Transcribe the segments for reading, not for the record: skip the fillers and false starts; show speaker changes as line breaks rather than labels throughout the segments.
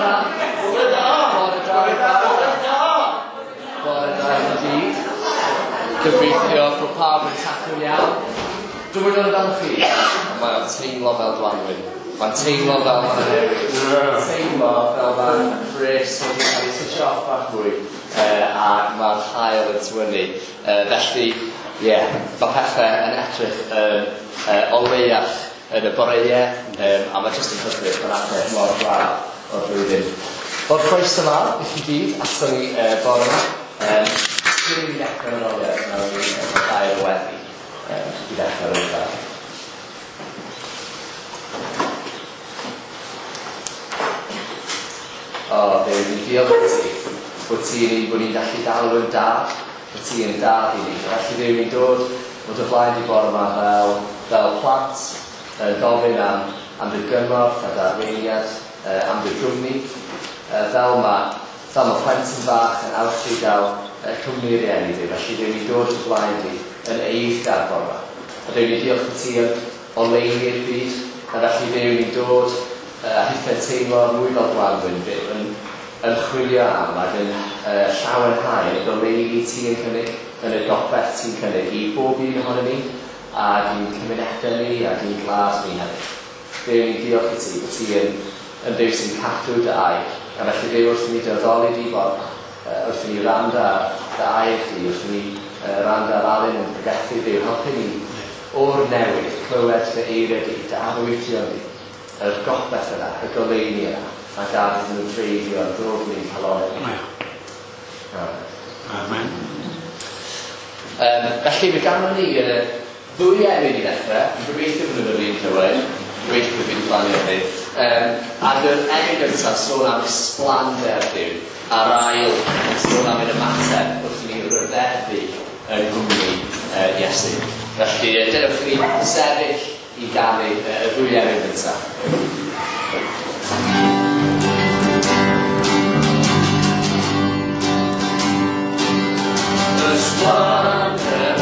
da.
Bore da.
Bore da.
Bore da. Bore da.
Bore da i gyd. Gobeithio bod pawb yn tacl iawn. Dwi'n gwybod amdano chi, ond mae'n teimlo fel Gwanwyn. Mae'n teimlo fel mae'n newid. Mae'n teimlo fel mae'n bres wedi cael ei switch off bach mwy, a mae'r haul yn tywynnu. Felly, ie, yeah, mae pethau yn edrych yn oleuach yn y boreau, a mae jyst yn hyfryd mae'n adeg mor braf o'r flwyddyn. Wel, croeso mawr i chi gyd aton ni bore yma. Cyn i ni ddechrau yn ôl, nawn ni gair o weddi i ddechrau o'r gair. O, Dduw, ni'n diolch i ti bod ti'n un bod ni'n gallu galw yn dad, bod ti yn dad i ni. Felly Dduw, ni'n dod o dy flaen di bore yma fel plant, gofyn am dy gymorth a dy arweiniad, am dy gwmni, fel mae plentyn bach yn awchu gael cwmni rieni di. Felly Dduw, ni'n dod o dy flaen di yn eiddgar bore yma. A Dduw, ni'n diolch i ti am oleuni'r byd, a felly Dduw, ni'n dod a hithau'n teimlo mwy fel Gwanwyn, Duw, yn chwilio am ac yn llawenhau yn y goleuni ti yn cynnig, yn y gobaith ti'n cynnig i bob un ohonon ni, ac i'n cymunedau ni, ac i'n gwlad ni hefyd. Duw, ni'n diolch i ti bod ti yn Dduw sy'n cadw dy air, a felly Duw, wrth i ni dy addoli di bore yma, wrth i ni wrando ar dy air di, wrth i ni wrando ar Alun yn pregethu, Duw, helpu ni o'r newydd clywed dy eiriau di, dy arwyddion di, yr gobaith yna, y goleuni yna, a gad iddyn nhw dreiddio yn ddwfn i'n calonnau ni.
Amen.
Felly, fe ganwn ni ddwy emyn i ddechrau. Dwi'n gobeithio bod nhw'n yr un cywair. Gobeithio bod fi wedi plannu hynny. Ac yr emyn gyntaf sôn am ysblander Duw, a'r ail yn sôn am ein ymateb wrth i ni ryfeddu yng nghwmni Iesu. Felly, dewch i ni sefyll i ganu y ddwy emyn gyntaf. Ysblander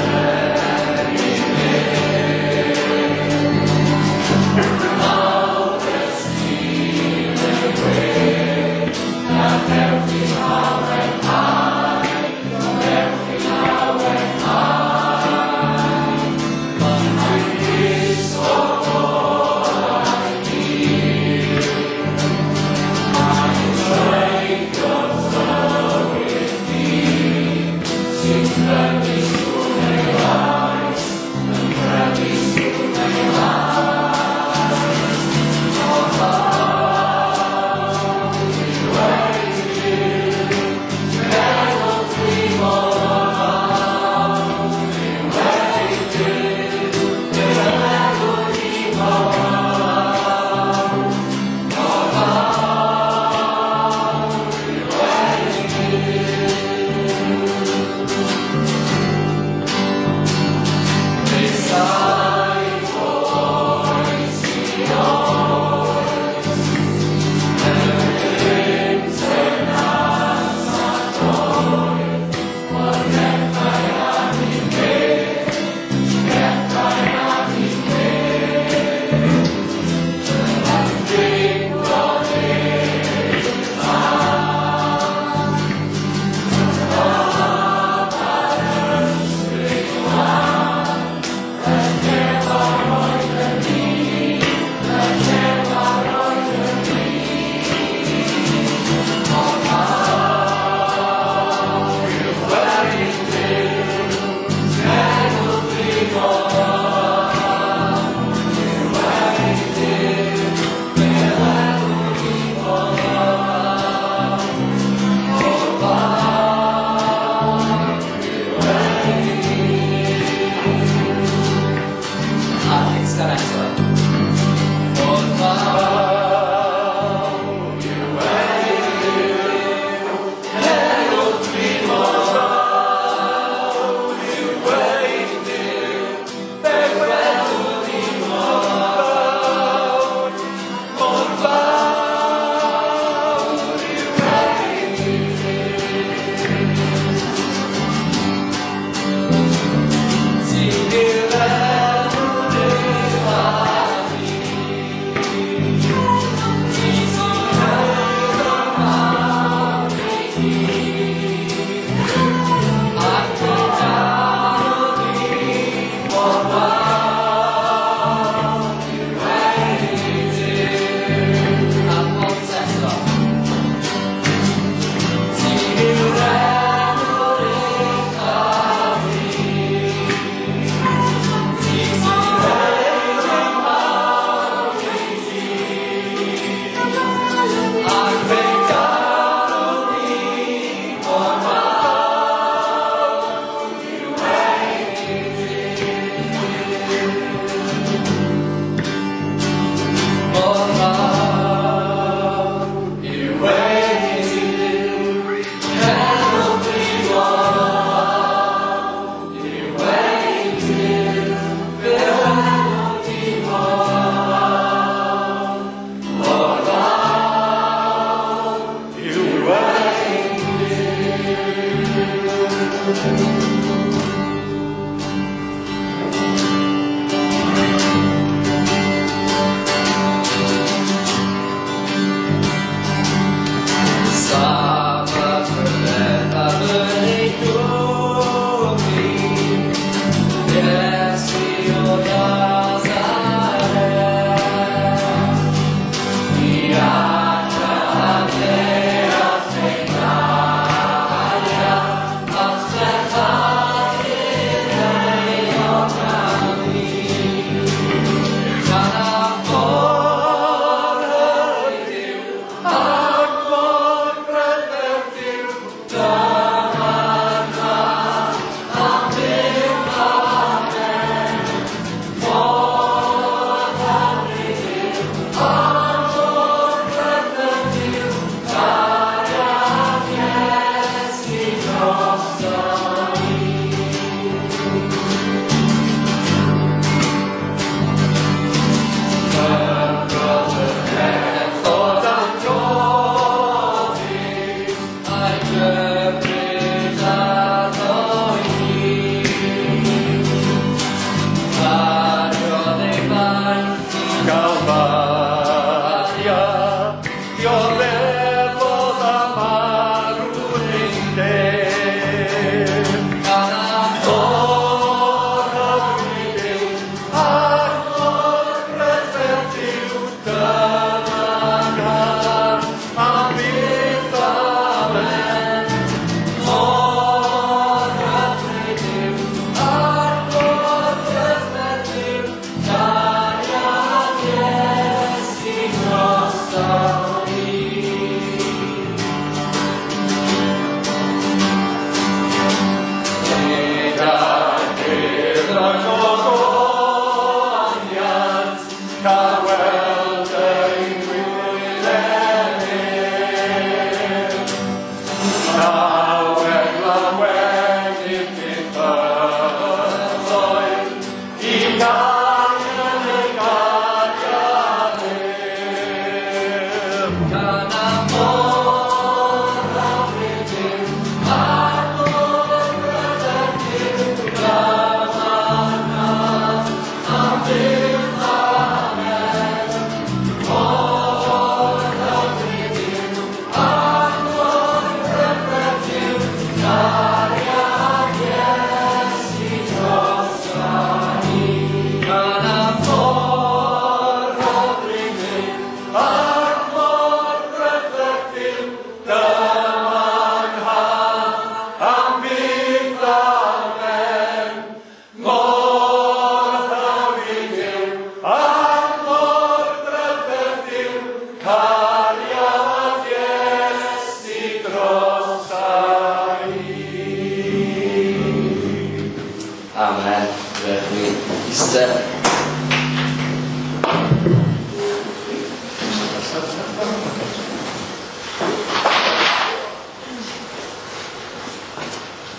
Amen. Rydych ni eistedd.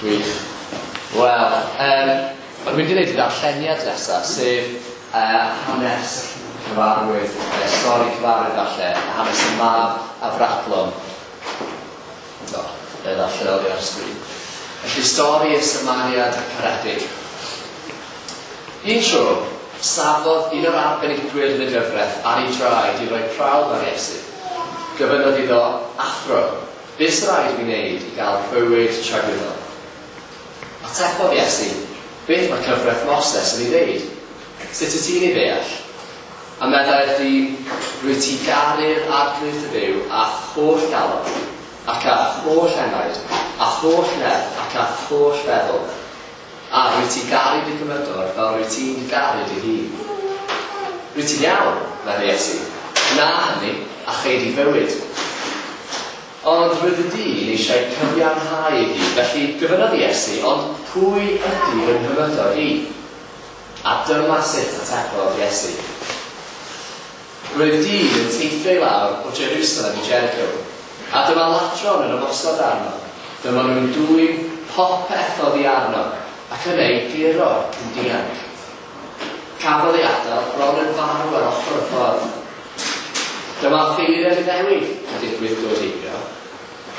Gwych. Wel, dwi'n mynd i wneud y darlleniad nesaf, sef hanes cyfarwydd, stori cyfarwydd falle, hanes y mab afradlon. No, fe ddarllen oddi ar sgrin. Felly stori y Samariad caredig. Un tro, safodd un o'r arbenigwyr yn y gyfraith ar ei draed i roi prawf ar Iesu. Gofynnodd iddo, "Athro, beth sy'n rhaid i mi wneud i gael bywyd tragwyddol?" Atebodd Iesu, "Beth mae cyfraith Moses yn ei ddeud? Sut wyt ti'n ei ddeall?" A meddai'r dyn, "Rwyt ti'n garu'r Arglwydd dy Dduw â'th holl galon, ac â'th holl enaid, â'th holl nerth ac â'th holl feddwl. A rwyt ti'n garu dy gymydog fel rwyt ti'n garu dy hun. Rwyt ti'n iawn," meddai Iesu, "gwna hynny a chei di fywyd." Ond roedd y dyn eisiau cyfiawnhau ei hun, felly gofynnodd Iesu, "Ond pwy ydy fy nghymydog i?" A dyma sut atebodd Iesu. Roedd dyn yn teithio i lawr o Jerusalem i Jericho, a dyma ladron yn ymosod arno. Dyma nhw'n dwyn popeth oddi arno, ac yn ei guro yn dianc. Cafodd ei adael bron yn farw ar ochr y ffordd. Dyma offeiriad Iddewig yn digwydd dod heibio,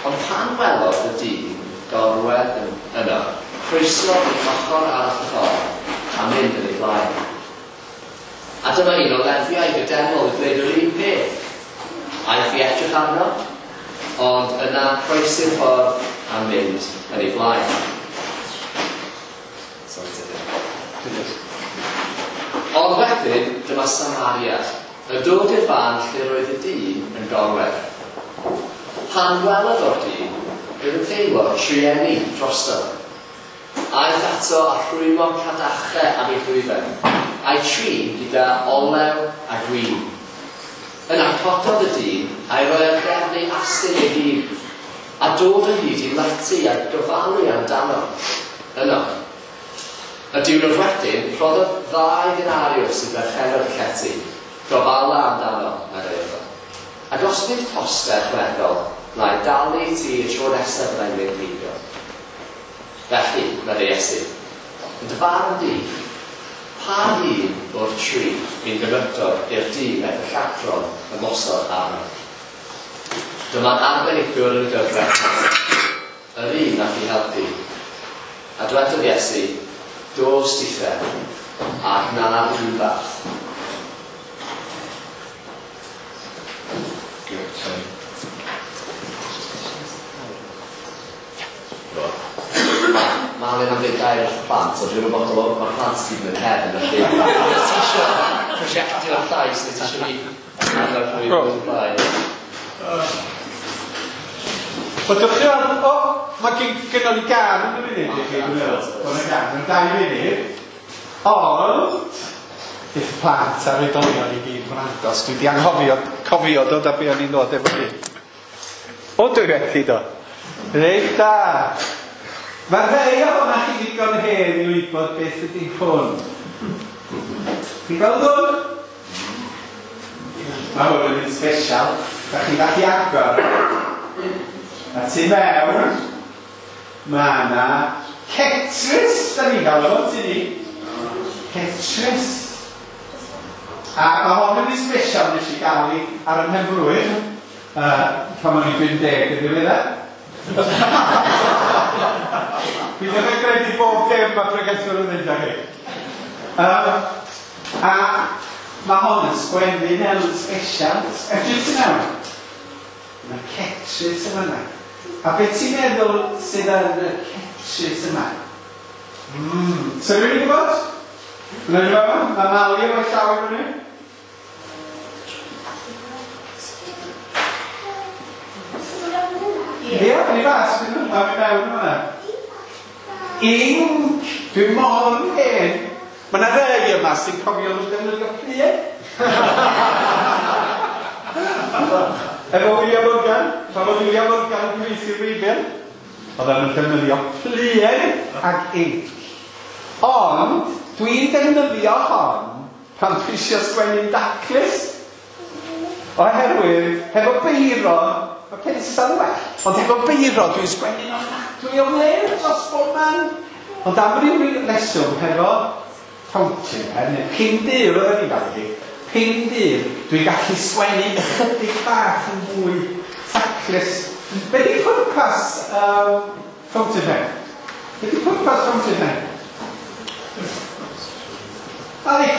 ond pan welodd y dyn gorwedd yno, croesodd i ochr arall y ffordd a mynd yn ei flaen. A dyma un o Lefiaid y deml yn gwneud yr un peth. Aeth i edrych arno, ond yna croesi'r ffordd a mynd yn ei flaen. Sorry, Tudur. Ond wedyn, dyma Samariad, yn dod i'r fan lle roedd y dyn yn gorwedd. Pan welodd o'r dyn, roedd yn teimlo trueni drosto. Aeth ato a rhwymo cadachau am ei ddwyfen, a'i trin gyda olew a gwin. Yna cododd y dyn a'i roi ar gefn ei asyn ei hun, a dod o hyd i lety a gofalu amdano. Yno. Y diwrnod wedyn, rhoddodd 2 denariws i berchennog y llety. "Gofala amdano," meddai wrtho. "Ac os bydd costau ychwanegol, wna i dalu i ti y tro nesaf byddai'n mynd heibio." Felly, meddai Iesu, "yn dy farn di, pa un o'r tri fu'n gymydog i'r dyn wnaeth y lladron ymosod arno?" Dyma'r arbenigwr yn y gyfraith, yr un nath i helpu. A dwedodd Iesu, "Dos dithe, a gwna'r un fath." Mae Alun am ddweud gair wrth plant, ond dwi'n ymwybodol o mae'r plant i gyd yn y cefn, felly os ti eisiau prosiectio'r llais, neu ti eisiau fi annog nhw i ddod ymlaen.
Wel, diolch chi am... O, mae gynnon ni gân yn y funud i chi, dwi'n meddwl. Mae yna gân mewn 2 munud. Ond, bydd plant a'r oedolion i gyd gwrando, os dwi wedi anghofio, cofio dod â be o'n i'n dod efo fi. O, dwi wedi do. Reit da. Mae rhai ohonoch chi ddigon hen i wybod beth ydy hwn. Chi'n gweld hwn? Mae hwn yn un special. Da chi'n gallu agor. A tu mewn, mae yna cetris, da ni'n gael o'n tu ni. Cetris. A mae hwn yn un special nes i gael i ar y mhenblwydd. Pan o'n i'n 50 yn ddiweddar. Dwi ddim yn credu bob dim mae pregethwr yn ddeud â chi. A mae hon yn sgwennu mewn special. Edrych ti mewn. Mae cetris yma yna. A beth ti'n meddwl sydd yn y cetris yma? So rhywun yn gwybod? Mae'n rhywun yma? Mae Mali efo'i llaw i fyny. Ie, ni fas, mae'n mynd mewn yma. Inc, dwi'n mor hen. Mae yna rai yma sy'n cofio nhw'n defnyddio pluen. Efo William Morgan, pan oedd William Morgan yn cyfieithu'r Beibl, oedden nhw'n defnyddio pluen ac inc. Ond, dwi'n defnyddio hon pan dwi eisiau sgwennu'n daclus. Oherwydd, hefo beiro, mae pensel yn well. Ond hefo beiro, dwi'n sgwennu'n ofnadwy o flêr dros bob man. Ond am ryw reswm, hefo fountain pen, neu pin dur oedden ni'n gael hi, pin dur, dwi'n gallu sgwennu ychydig bach yn fwy taclus. Be di pwrpas fountain pen? Be di pwrpas fountain pen? Ali?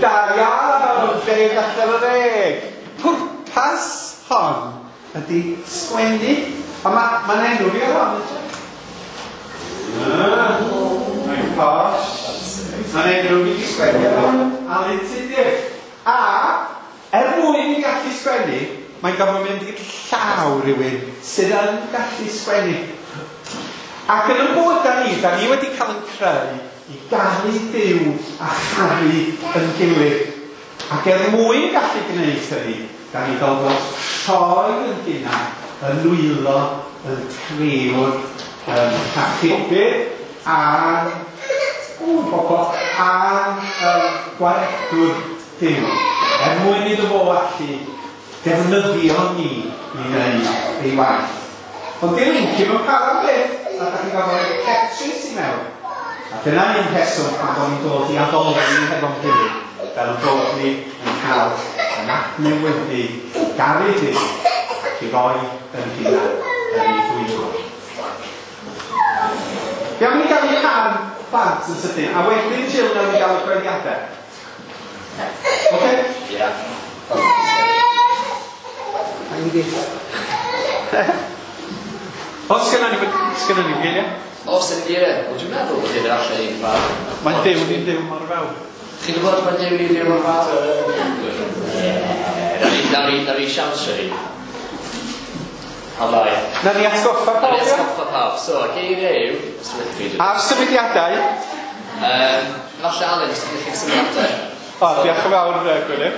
Da iawn, 10 allan o 10. Pwrpas hon ydy sgwennu. A mae'n enw fi ar hon. Mae'n posh. Mae'n enw fi di sgwennu ar hon. Alun Tudur. A, er mwyn i gallu sgwennu, mae'n gorfod mynd i'r llaw rhywun sydd yn gallu sgwennu. Ac yn y bywyd da ni wedi cael yn creu i garu Duw a charu yn gilydd. Ac er mwyn gallu gwneud hynny, da ni gorfod troi yn hunan, yn nwylo, yn crëwr, yn achubydd, a'n a'n gwaredwr Duw. Er mwyn iddo fo allu defnyddio ni i wneud ei waith. Ond di'r inc ddim yn para byth, a da chi'n gorfod rhoi cetris i mewn. A dyna un rheswm pan bod ni'n dod i addoli hefo'n gilydd, fel bod ni yn cael yn adnewyddu, garu Duw, ac i roi yn hunan yn ei ddwylo. Iawn, ni gael ei can bant yn sydyn, a wedyn Jill nawn ni gael y gweddïadau. Oce?
Ie.
Os gynna ni geiriau?
Os yn geiriau, wel dwi'n meddwl bod hyn yn allan i'n fawr.
Mae Duw ni'n Duw mor fawr.
Chi'n gwybod mae Duw ni'n Duw mor fawr? Ie. Nawn ni siawnsio hi. A lai.
Nawn ni atgoffa pawb.
Nawn ni atgoffa pawb. So, geiriau yw...
Ar symudiadau.
Falle Alun, os ti'n gallu symudiadau.
O, diolch yn fawr, Gwilym.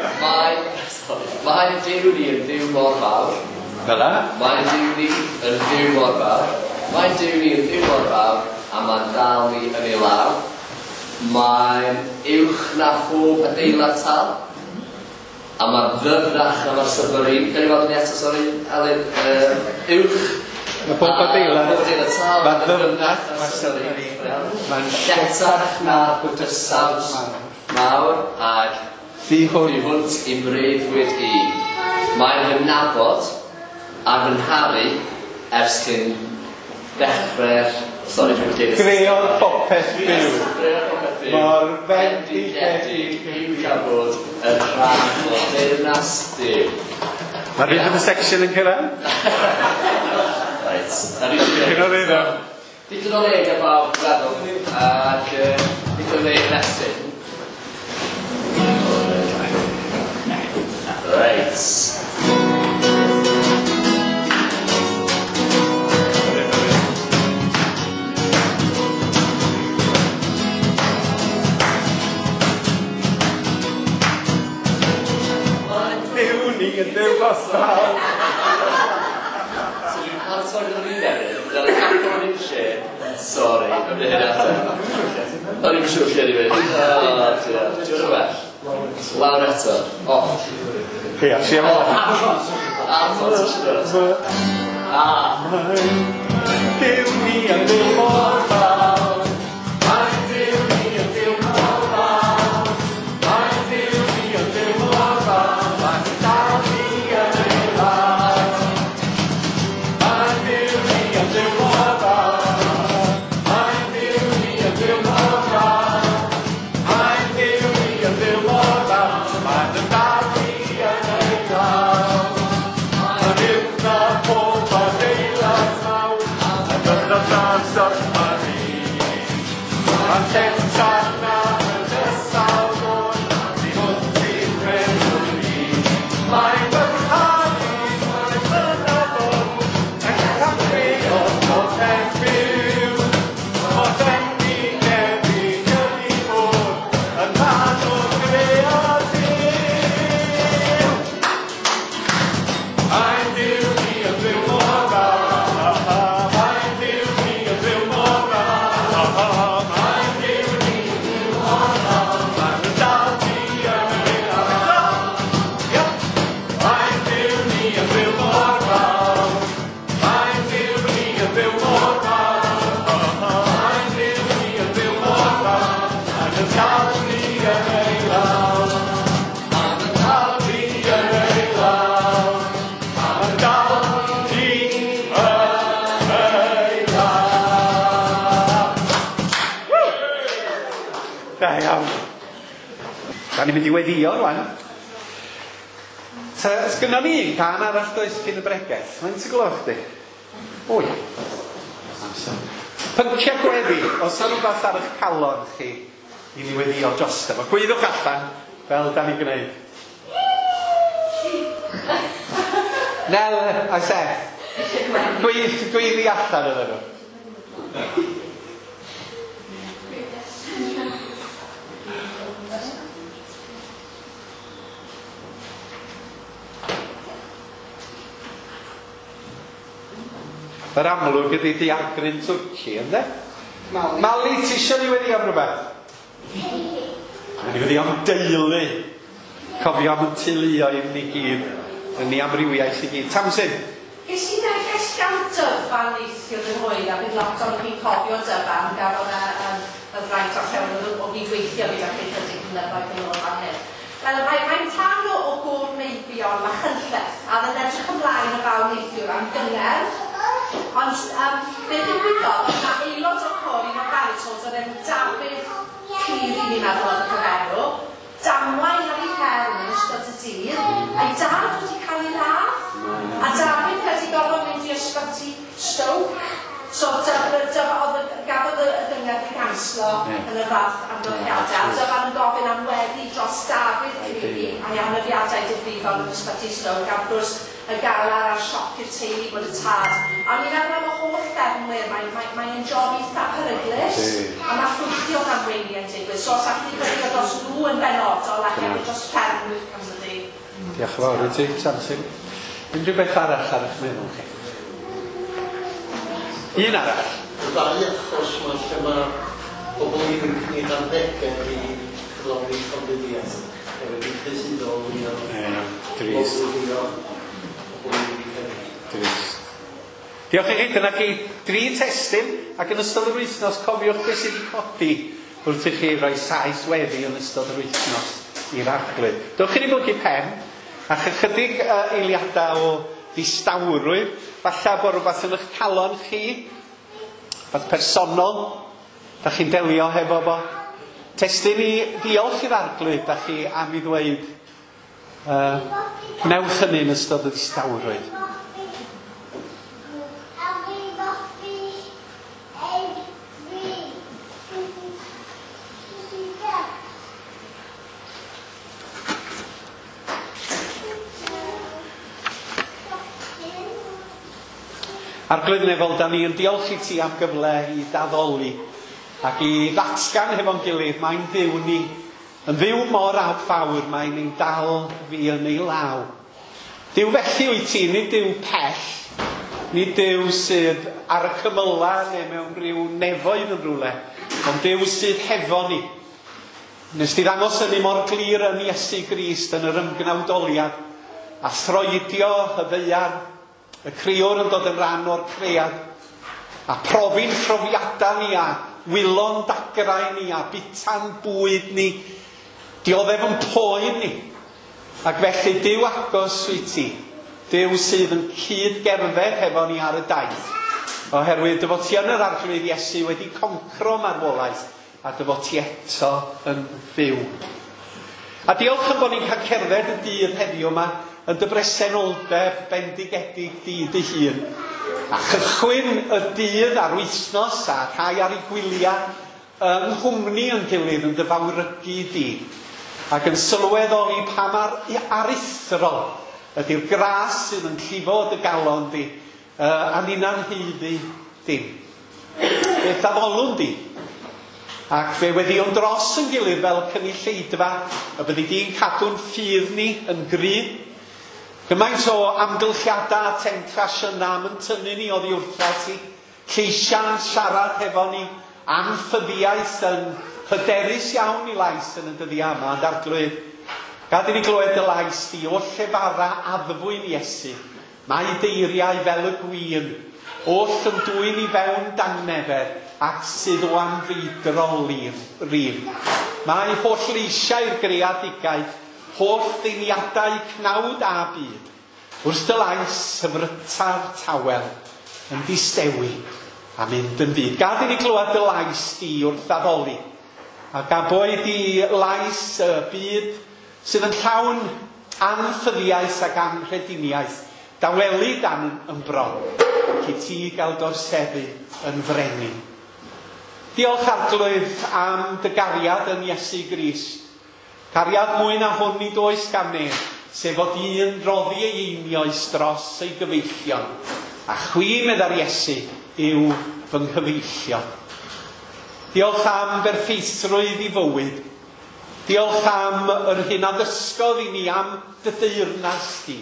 Mae Duw ni yn Dduw mor fawr.
Fel 'na.
Mae Duw ni yn Dduw mor fawr. Mae Duw ni yn Dduw mor fawr, a mae'n dal ni yn ei law. Mae'n uwch na phob adeilad tal. A mae'n ddyfnach na mae'r submarine. Gawn ni weld ni eto, sori, Alun. Uwch.
Mae pob adeilad.
Pob adeilad tal.
Mae'n ddyfnach na'r submarine. Mae'n
lletach na'r bydysawd mawr ag
thu
hwnt i'm breuddwyd i. Mae'n fy nabod a fy ngharu ers cyn dechrau'r... Sori, dwi'n deud...
Greodd popeth byw.
Greodd popeth byw.
Mor fendigedig
yw cael bod yn rhan o deyrnas Duw.
Mae'r rhythm section yn cyrraedd.
Reit.
Digon o le ddo.
Digon o le gan bawb, dwi'n meddwl. Ac digon o le i ymestyn. Reit.
Duw ni yn Dduw gosal.
So dwi'n paratoi gyda fi newydd, fel y capel yn un lle. Sori, am hynna eto. O'n i'n siŵr lle di fynd. Dwi'n well. Lawr eto. Off.
Ia, si am off.
Arfon, A.
Duw ni yn Dduw mor fawr.
Mae Duw ni yn Dduw mor fawr. Mae Duw ni yn Dduw mor fawr. Mae'n dal ni
Da ni'n mynd i weddio rwan. Sgynnon ni un cân arall does cyn y bregeth? Faint y gloch di? O ia. Amser. Pyncia gweddi, os yna rhywbeth ar eich calon chi i ni weddio drosto fo. Gweiddiwch allan fel da ni'n gwneud. Nel a Seth. Gweiddi allan ydyn nhw. Yr amlwg ydy diagryn Twrci, ynddo? Mali. Mali, ti eisiau ni weddi am rhywbeth? Ni wedi am deulu. Cofio am y teuluoedd ni gyd, yn ei amrywiaeth i gyd. Tamsin?
Ges i neges gan Dyfan neithiwr yn hwyr, a bydd lot o'n chi'n cofio Dyfan, gafodd e y fraint o'r llewn o gydweithio gyda chi chydig blynyddoedd yn ôl fan hyn. Wel, mae'n rhan o gôr meibion Machynlleth, a oedd yn edrych ymlaen y fawr neithiwr am gyngerdd. Ond be ddigwyddodd, oedd yna aelod o'r côr, un o'r baritones, o'r enw Dafydd Cleary, ni'n meddwl oedd y cyfenw, damwain ar ei fferm yn ystod y dydd, a'i dad wedi cael ei ladd, a Dafydd wedi gorfod mynd i ysbyty Stoke, so gafodd y gyngerdd ei ganslo yn y fath amgylchiadau, a Dyfan yn gofyn am weddi dros Dafydd Cleary a'i anafiadau difrifol yn ysbyty Stoke, a wrth gwrs y galar a'r sioc i'r teulu bod y tad. A ni'n meddwl am y holl ffermwyr, mae'n job eitha peryglus, a mae llwythi o ddamweiniau'n digwydd, so os allwn ni weddïo dros nhw yn benodol a hefyd dros ffermwyr Cymru.
Diolch yn fawr i ti, Tamsin. Unrhyw beth arall ar eich meddwl chi? Un arall.
Y ddau achos yma lle mae pobl ifanc yn ei harddegau i cyflawni llofruddiaeth, hefyd yn cyhuddo o fwy o
Drist. Drist. Diolch i chi, dyna chi dri testun, ac yn ystod yr wythnos cofiwch beth sydd wedi codi wrth i chi roi sais weddi yn ystod yr wythnos i'r Arglwydd. Dewch i ni blygu pen, a chydig eiliadau o ddistawrwydd, falle bod rhywbeth yn eich calon chi, rhywbeth personol, da chi'n delio hefo fo. Testun i ddiolch i'r Arglwydd, da chi am i ddweud, wnewch hynny yn ystod y distawrwydd. Arglwydd nefol, da ni yn diolch i ti am gyfle i daddoli ac i ddatgan hefo'n gilydd, mae'n Dduw ni, yn Dduw mor fawr, mae'n ein dal fi yn ei law. Duw felly wyt ti, nid Duw pell, nid Duw sydd ar y cymylau neu mewn rhyw nefoedd yn rhywle, ond Duw sydd hefo ni. Nes ti ddangos hynny mor glir yn Iesu Grist yn yr ymgnawdoliad, a throedio y ddaear, y creor yn dod yn rhan o'r cread, a profi'n profiadau ni, a wylo'n dagrau ni, a bita'n bwyd ni, dioddef yn poen ni. Ac felly Duw agos wyt ti, Duw sydd yn cyd-gerdded hefo ni ar y daith, oherwydd dy fod ti yn yr Arglwydd Iesu wedi concro marwolaeth, a dy fod ti eto yn fyw. A diolch am bod ni'n cael cerdded y dydd heddiw yma yn dy bresenoldeb bendigedig di dy hun. A chychwyn y dydd a'r wythnos a rhai ar ei gwyliau yng nghwmni yn gilydd yn dy fawrygu di. Ac yn sylweddoli pa mor aruthrol ydy'r gras sydd yn llifo dy galon di, a ninna'n haeddu dim. Beth addolwn di? Ac fe weddïwn dros yn gilydd fel cynulleidfa, y byddi di'n cadw'n ffydd ni yn gry. Gymaint o amgylchiadau a temtasiynau am yn tynnu ni oddi wrtha ti, lleisiau'n siarad hefo ni, anffyddiaeth yn hyderus iawn i lais yn y dyddiau yma, ond Arglwydd, gad i ni glywed dy lais di o llefara addfwyn Iesu, mae deiriau fel y gwin, oll yn dwyn i fewn dangnefedd, ac sydd o anfeidrol rif. Mae holl leisiau'r greadigaeth, holl ddeiniadau cnawd a byd, wrth dy lais hyfrytaf tawel, yn distewi a mynd yn fyd. Gad i ni glywed dy lais di wrth addoli, Ac a boed i lais y byd sydd yn llawn anffyddiaeth ac anghrediniaeth, dawelu dan yn bron, ac i ti gael dorseddu yn frenin. Diolch Arglwydd am dy gariad yn Iesu Grist. Cariad mwy na hwn nid oes gan neb, sef fod un roddi ei einioes dros ei gyfeillion. A chwi, meddai'r Iesu, yw fy nghyfeillion. Diolch am berffeithrwydd i fywyd. Diolch am yr hyn a ddysgodd i ni am dy deyrnas di.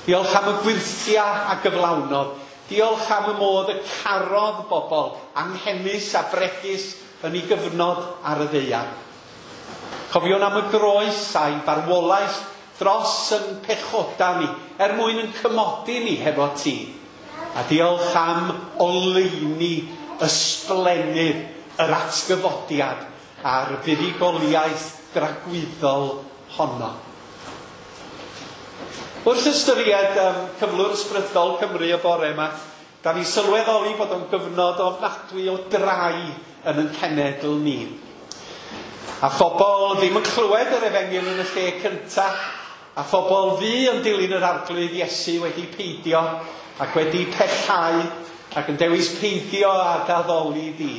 Diolch am y gwyrthiau a gyflawnodd. Diolch am y modd y carodd bobl anghenus a bregus yn ei gyfnod ar y ddaear. Cofiwn am y groes a'i farwolaeth dros yn pechoda ni, er mwyn yn cymodi ni hefo ti. A diolch am oleuni ysblennydd yr atgyfodiad a'r fuddugoliaeth dragwyddol honno. Wrth ystyried cyflwr ysbrydol Cymru y bore yma, da ni sylweddoli bod o'n gyfnod ofnadwy o drai yn ein cenedl ni. A phobl ddim yn clywed yr efengyl yn y lle cyntaf, a phobl fu yn dilyn yr Arglwydd Iesu wedi peidio ac wedi pellhau ac yn dewis peidio â addoli di.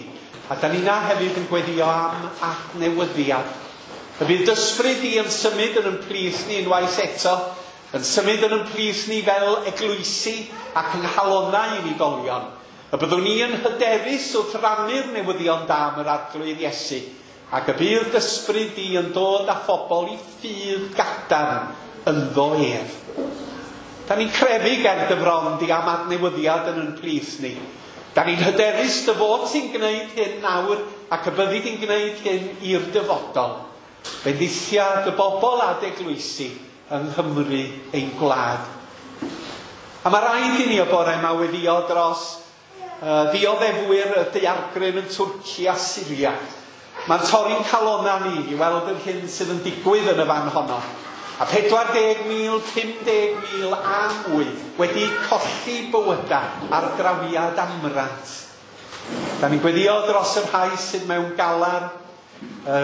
A da ni na hefyd yn gweddio am adnewyddiad. Y bydd d'ysbryd di yn symud yn ein plith ni unwaith eto, yn symud yn ein plith ni fel eglwysi ac yng nghalonnau unigolion. Y byddwn ni yn hyderus wrth rannu'r newyddion da am yr Arglwydd Iesu, ac y bydd d'ysbryd di yn dod â phobl i ffydd gadarn ynddo ef. Da ni'n crefu ger dy fron di am adnewyddiad yn ein plith ni. Da ni'n hyderus dy fod ti'n gwneud hyn nawr ac y byddi di'n gwneud hyn i'r dyfodol. Bendithia dy bobl a dy eglwysi yng Nghymru ein gwlad. A mae rhaid i ni y bore yma weddio dros ddioddefwyr y daeargryn yn Twrci a Syria. Mae'n torri'n calonna ni i weld yr hyn sydd yn digwydd yn y fan honno. A 40,000, 50,000 a mwy wedi colli bywydau ar drawiad amrant. Da ni'n gweddio dros y rhai sydd mewn galar, y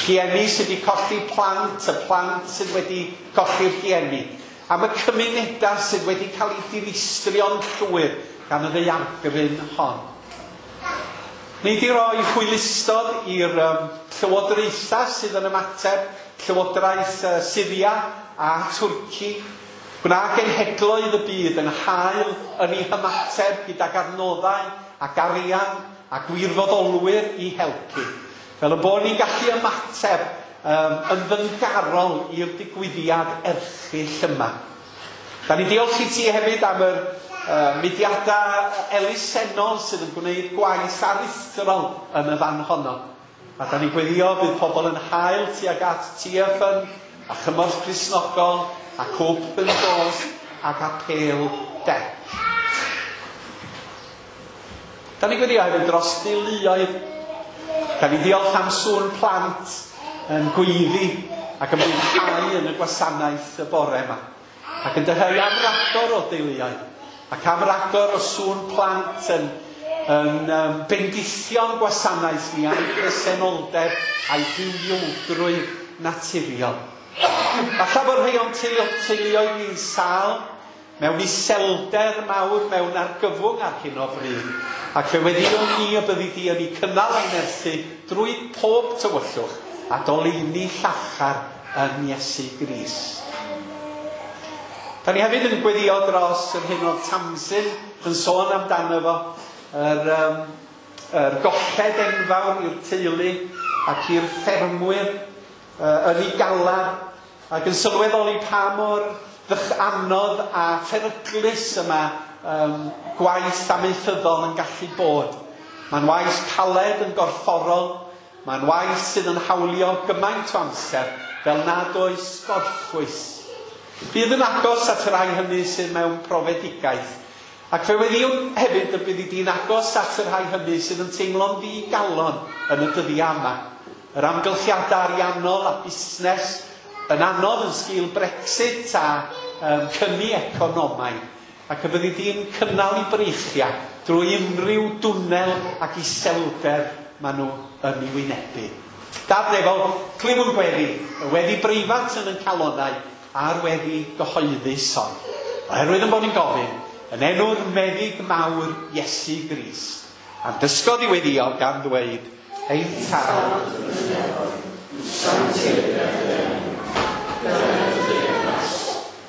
rhieni sydd wedi colli plant, y plant sydd wedi colli'r rhieni, am y cymunedau sydd wedi cael eu dinistrio'n llwyr gan y ddaeargryn hon. Ni wedi rhoi hwylustod i'r llywodraethau sydd yn ymateb, llywodraeth Syria a Twrci. Gwna genhedloedd y byd yn hael yn ei hymateb gydag adnoddau ac arian a gwirfoddolwyr i helpu. Fel y bod ni'n gallu ymateb yn ddyngarol i'r digwyddiad erchyll yma. Da ni'n diolch i ti hefyd am yr mudiadau elusennol sydd yn gwneud gwaith aruthrol yn y fan honno. A da ni'n gweddio bydd pobl yn hael tuag at TFN a Chymorth Cristnogol ac Open Doors ac Apêl Dec. Da ni'n gweddio hefyd dros deuluoedd. Da ni'n diolch am sŵn plant yn gweiddi ac yn mwynhau yn y gwasanaeth y bore yma. Ac yn dyheu am ragor o deuluoedd ac am ragor o sŵn plant yn bendithio'n gwasanaeth ni a'i presenoldeb a'i bywiogrwydd naturiol. Falle bod rhai o'n teuluoedd ni'n sâl, mewn iselder mawr, mewn argyfwng ar hyn o bryd. Ac fe weddïwn ni y byddi di yn ei cynnal a'i nerthu drwy pob tywyllwch a doleuni llachar yn Iesu Grist. Da ni hefyd yn gweddio dros yr hyn oedd Tamsin yn sôn amdano fo, yr golled enfawr i'r teulu ac i'r ffermwyr yn ei galar, ac yn sylweddoli pa mor anodd a pheryglus yma gwaith amaethyddol yn gallu bod. Mae'n waith caled yn gorfforol, mae'n waith sydd yn hawlio gymaint o amser fel nad oes gorffwys. Bydd yn agos at y rhai hynny sydd mewn profedigaeth. Ac fe weddïwn hefyd y byddi di'n agos at y rhai hynny sydd yn teimlo'n ddigalon yn y dyddiau yma. Yr amgylchiadau ariannol a busnes yn anodd yn sgil Brexit a cyni economaidd. Ac y byddi di'n cynnal i breichiau drwy unrhyw dwnnel ac iselder maen nhw yn ei wynebu. Dad nefol, clyw'n gweddi, y weddi breifat yn ein calonau a'r weddi gyhoeddus hon. Oherwydd yn bod ni'n gofyn, yn enw'r meddyg mawr Iesu Grist, a'n dysgodd i weddio gan ddweud, ein Tad yn y nefoedd, sancteiddied dy enw, dyled dy deyrnas,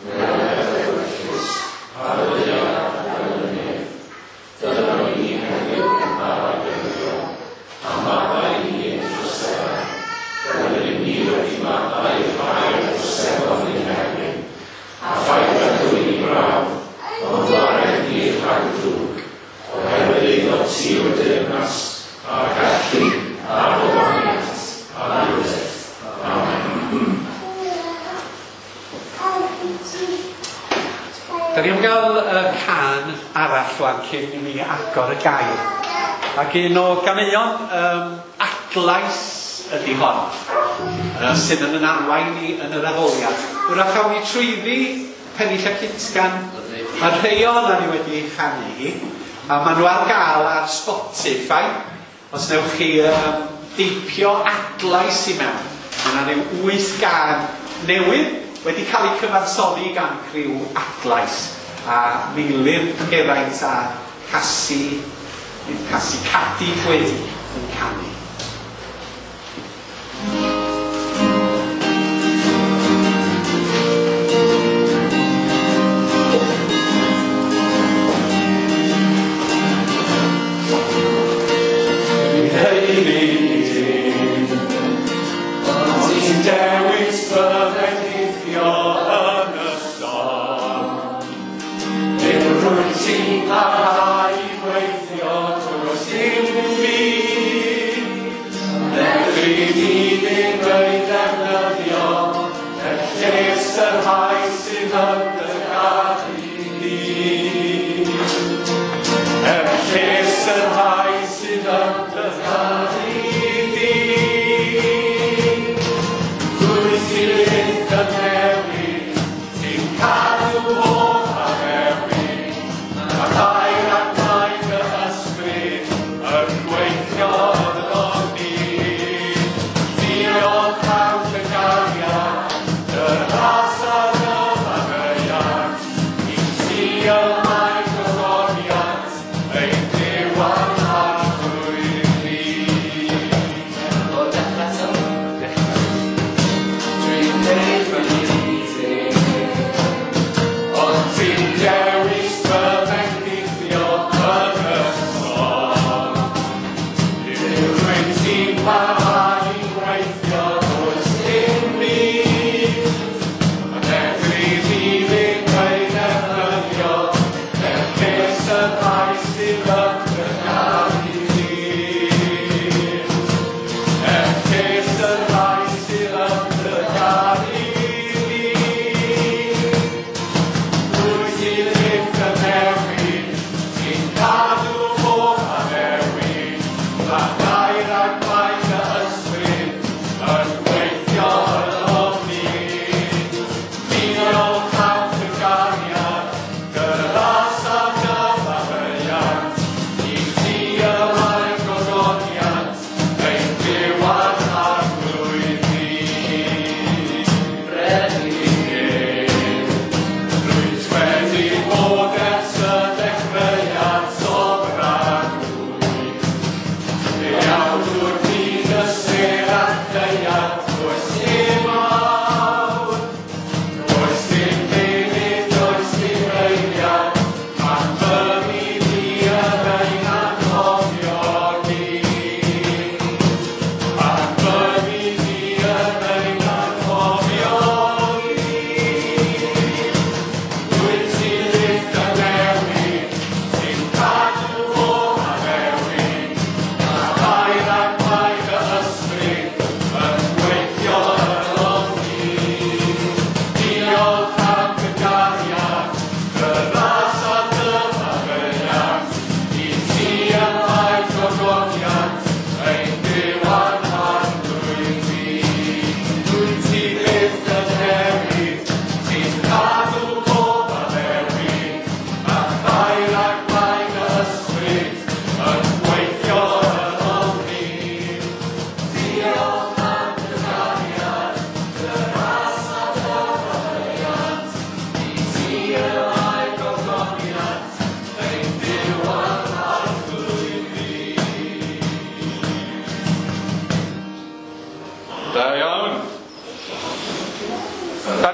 wneled dy ewyllys, ar y ddaear fel yn y nef. Dyna ni heddiw ein bara dyddiol, a maddau i ni ein troseddau, fel yr ydym ni wedi maddau i'r rhai a droseddodd ein herbyn, a phaid â dwyn i brawf, ond gwared ni rhag y drwg, oherwydd eiddo ti yw'r deyrnas, a'r gallu, a'r gogoniant, am byth. Amen. Da ni am gael y cân arall wan cyn i mi agor y gair. Ac un o ganeuon adlais ydy hon, sydd yn arwain ni yn yr addoliad. Wrach awn ni trwyddi pennill a cytgan. Mae rhai ohonan ni wedi ei chanu hi, a maen nhw ar gael ar Spotify. Os newch chi deipio adlais i mewn, mae yna ryw 8 gân newydd wedi cael eu cyfansoddi gan criw Adlais, a Meilir Geraint a Casi, Casi Cadi Gwyn yn canu. Dwi'n haeddu dim, ond ti'n dewis fy fendithio yn y storm. Dim rwyt ti'n parhau i weithio drwy dim fi.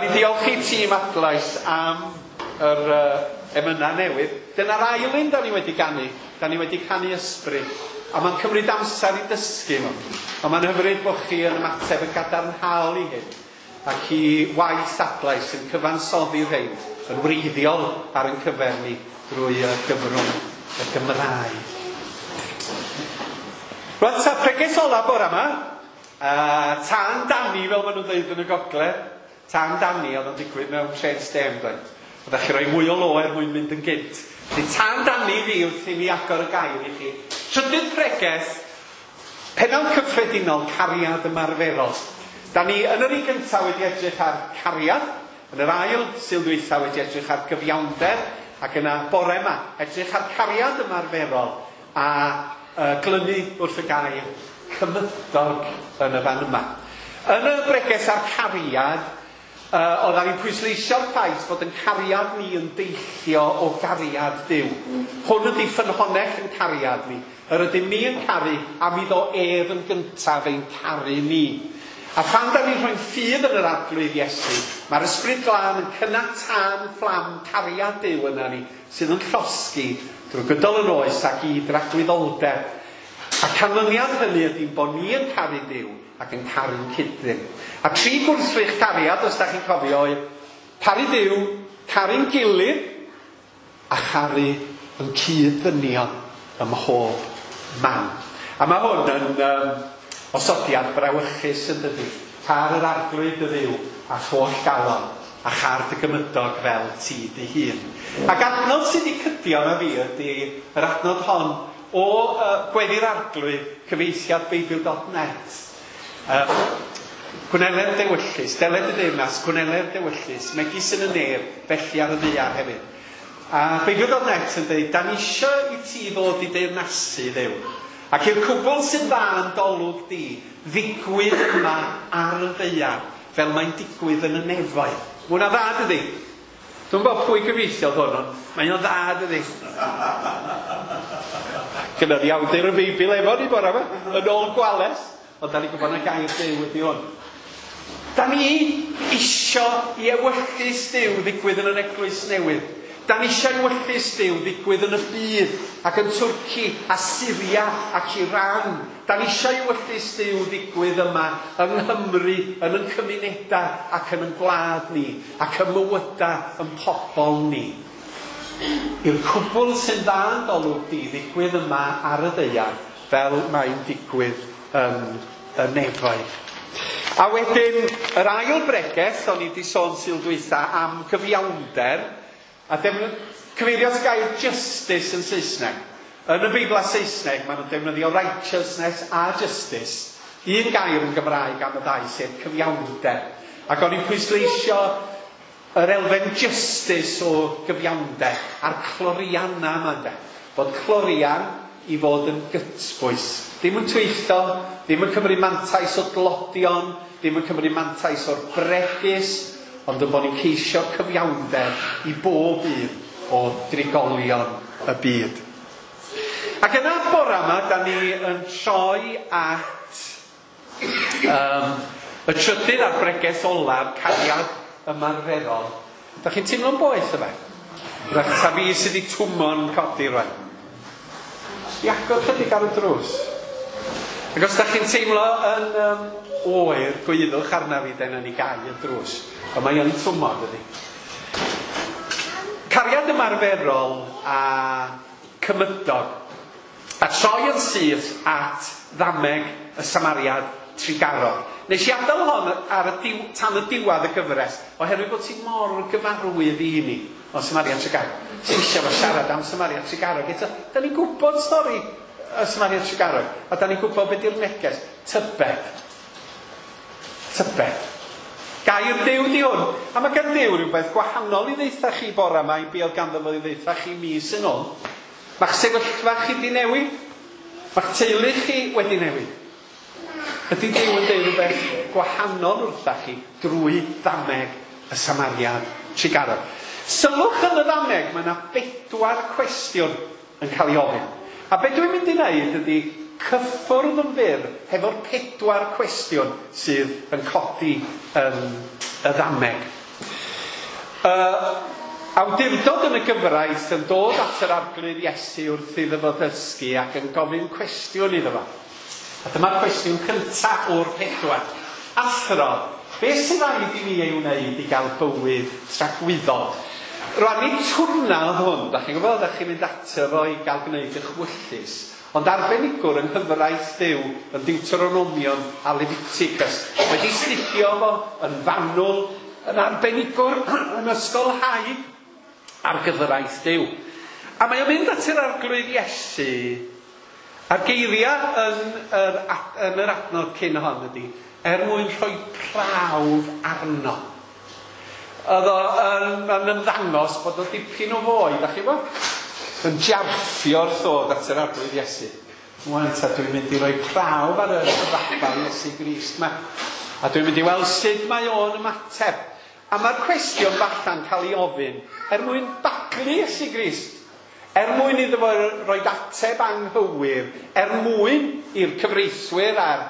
Da ni diolch i tîm Adlais am yr emynau newydd. Dyna'r ail un da ni wedi ganu. Da ni wedi canu ysbryd. A mae'n cymryd amser i dysgu nhw. Ond mae'n hyfryd bod chi yn ymateb yn gadarnhaol i hyn. Ac i waith Adlais yn cyfansoddi rhein yn wreiddiol ar ein cyfer ni drwy y gyfrwng y Gymraeg. Rwan ta, pregeth ola bore yma. Tân Dani, fel maen nhw'n dweud yn y gogledd. Tân Dani oedd yn digwydd mewn trên stêm, dweud. Oeddech chi roi mwy o lo er mwyn mynd yn gynt. Felly tân Dani fi wrth i mi agor y gair i chi. Trydydd pregeth, pennawd cyffredinol, cariad ymarferol. Da ni yn yr un gyntaf wedi edrych ar cariad, yn yr ail Sul dwytha wedi edrych ar gyfiawnder, ac yna bore yma edrych ar cariad ymarferol a glynu wrth y gair cymydog yn y fan yma. Yn y bregeth ar cariad, oeddan ni'n pwysleisio'r ffaith bod yn cariad ni yn deillio o gariad Duw. Hwn ydy ffynhonnell yn cariad ni. Yr ydym ni yn caru am iddo ef yn gyntaf ein caru ni. A phan da ni'n rhoi'n ffydd yn yr Arglwydd Iesu, mae'r Ysbryd Glân yn cynnal tân fflam cariad Duw yna ni, sydd yn llosgi drwy gydol yn oes ac i dragwyddoldeb. A canlyniad hynny ydy bod ni yn caru Duw ac yn caru'n cyd-ddyn. A tri gwrthrych cariad, os da chi'n cofio, oedd caru Duw, caru'n gilydd, a charu yn cyd-ddynion ym mhob man. A mae hwn yn osodiad brawychus yn dydi. Car yr Arglwydd dy Dduw a holl galon, a char dy gymydog fel ti dy hun. Ac adnod sydd wedi cydio na fi ydy yr adnod hon o Gweddi'r Arglwydd, cyfieithiad Beibl.net. Gwneler dewyllys, deled y deyrnas, gwneler dewyllys, megis yn y nef, felly ar y ddaear hefyd. A Beibl.net yn dweud, da ni isio i ti ddod i deyrnasu Dduw. Ac i'r cwbl sy'n dda yn dolwg di, ddigwydd yma ar y ddaear, fel mae'n digwydd yn y nefoedd. Mae hwnna dda, dydi? Dwi'n gwybod pwy gyfieithiodd hwn, ond mae o'n dda, dydi? Gyda ni awdur y Beibl efo ni bore yma, yn ôl Gwales, ond da ni'n gwybod na gair Duw ydi hwn. Da ni isio i ewyllys Duw ddigwydd yn yr eglwys newydd. Da ni eisiau ewyllys Duw ddigwydd yn y byd, ac yn Twrci, a Syria, ac Iran. Da ni eisiau ewyllys Duw ddigwydd yma yng Nghymru, yn ein cymunedau, ac yn ein gwlad ni, ac ym mywydau yn pobl ni. I'r cwbl sy'n dda yn golwg di ddigwydd yma ar y ddaear, fel mae'n digwydd yn y nefoedd. A wedyn, yr ail bregeth, o'n i wedi sôn Sul dwytha am gyfiawnder, a cyfeirio at gair justice yn Saesneg. Yn y Beibl Saesneg, maen nhw'n defnyddio righteousness a justice. Un gair yn Gymraeg am y ddau, sef cyfiawnder. Ac o'n i'n pwysleisio yr elfen justice o gyfiawnder a'r clorianna yma, ynde. Bod clorian i fod yn gytbwys. Ddim yn twyllo, ddim yn cymryd mantais o dlodion, ddim yn cymryd mantais o'r bregus, ond yn bod ni'n ceisio cyfiawnder i bob un o drigolion y byd. Ac yna bore yma, da ni yn troi at y trydydd a'r bregeth olaf, cariad ymarferol. Da chi'n teimlo'n boeth yma? Rhaid ta fi sydd wedi twmo'n codi rwan. I agor chydig ar y drws. Ac os da chi'n teimlo yn oer, gwyddwch arna fi, dyna ni gau y drws. Ond mae yn twmo, dydy. Cariad ymarferol a cymydog. A troi yn syth at ddameg y Samariad trugarog. Nes i adael hon ar y tan y diwedd y gyfres, oherwydd bod ti mor gyfarwydd i ni o Samariad Trugarog. Ti eisiau fo siarad am Samariad Trugarog. Eto, da ni'n gwybod stori y Samariad Trugarog, a da ni'n gwybod beth yw'r neges. Tybed. Tybed. Gair Duw di hwn. A mae gan Duw rhywbeth gwahanol i ddeitha chi bore yma i be oedd ganddo fo i ddeitha chi mis yn ôl. Mae'ch sefyllfa chi wedi newid. Mae'ch teulu chi wedi newid. Ydy Duw yn deud rhywbeth gwahanol wrtha chi drwy ddameg y Samariad Trugarog. Sylwch yn y ddameg, mae yna 4 cwestiwn yn cael ei ofyn. A be dwi'n mynd i wneud ydy cyffwrdd yn fyr hefo'r 4 cwestiwn sydd yn codi yn y ddameg. Awdurdod yn y gyfraith yn dod at yr Arglwydd Iesu wrth iddo fo ddysgu ac yn gofyn cwestiwn iddo fo. A dyma'r cwestiwn cyntaf o'r 4. Athro, beth sydd rhaid i mi ei wneud i gael bywyd tragwyddol? Rwan, nid twrna oedd hwn, da chi'n gwybod, da chi'n mynd ato fo i gael gwneud eich wyllys. Ond arbenigwr yng nghyfraith Duw yn Deuteronomion a Leviticus wedi astudio fo yn fanwl, yn arbenigwr yn ysgolhaig ar gyfraith Duw. A mae o'n mynd at yr Arglwydd Iesu, a'r geiriau yn yr adnod cyn hon ydy, er mwyn rhoi prawf arno. Oedd o yn ymddangos bod o dipyn o foi, da chi bod? Yn jarffio wrth ddod at yr Arglwydd Iesu. Wan ta, dwi'n mynd i roi prawf ar y rabbi Iesu Grist ma. A dwi'n mynd i weld sut mae o'n ymateb. A mae'r cwestiwn falla'n cael ei ofyn er mwyn baglu Iesu Grist. Er mwyn iddo fo roi ateb anghywir, er mwyn i'r cyfreithwyr a'r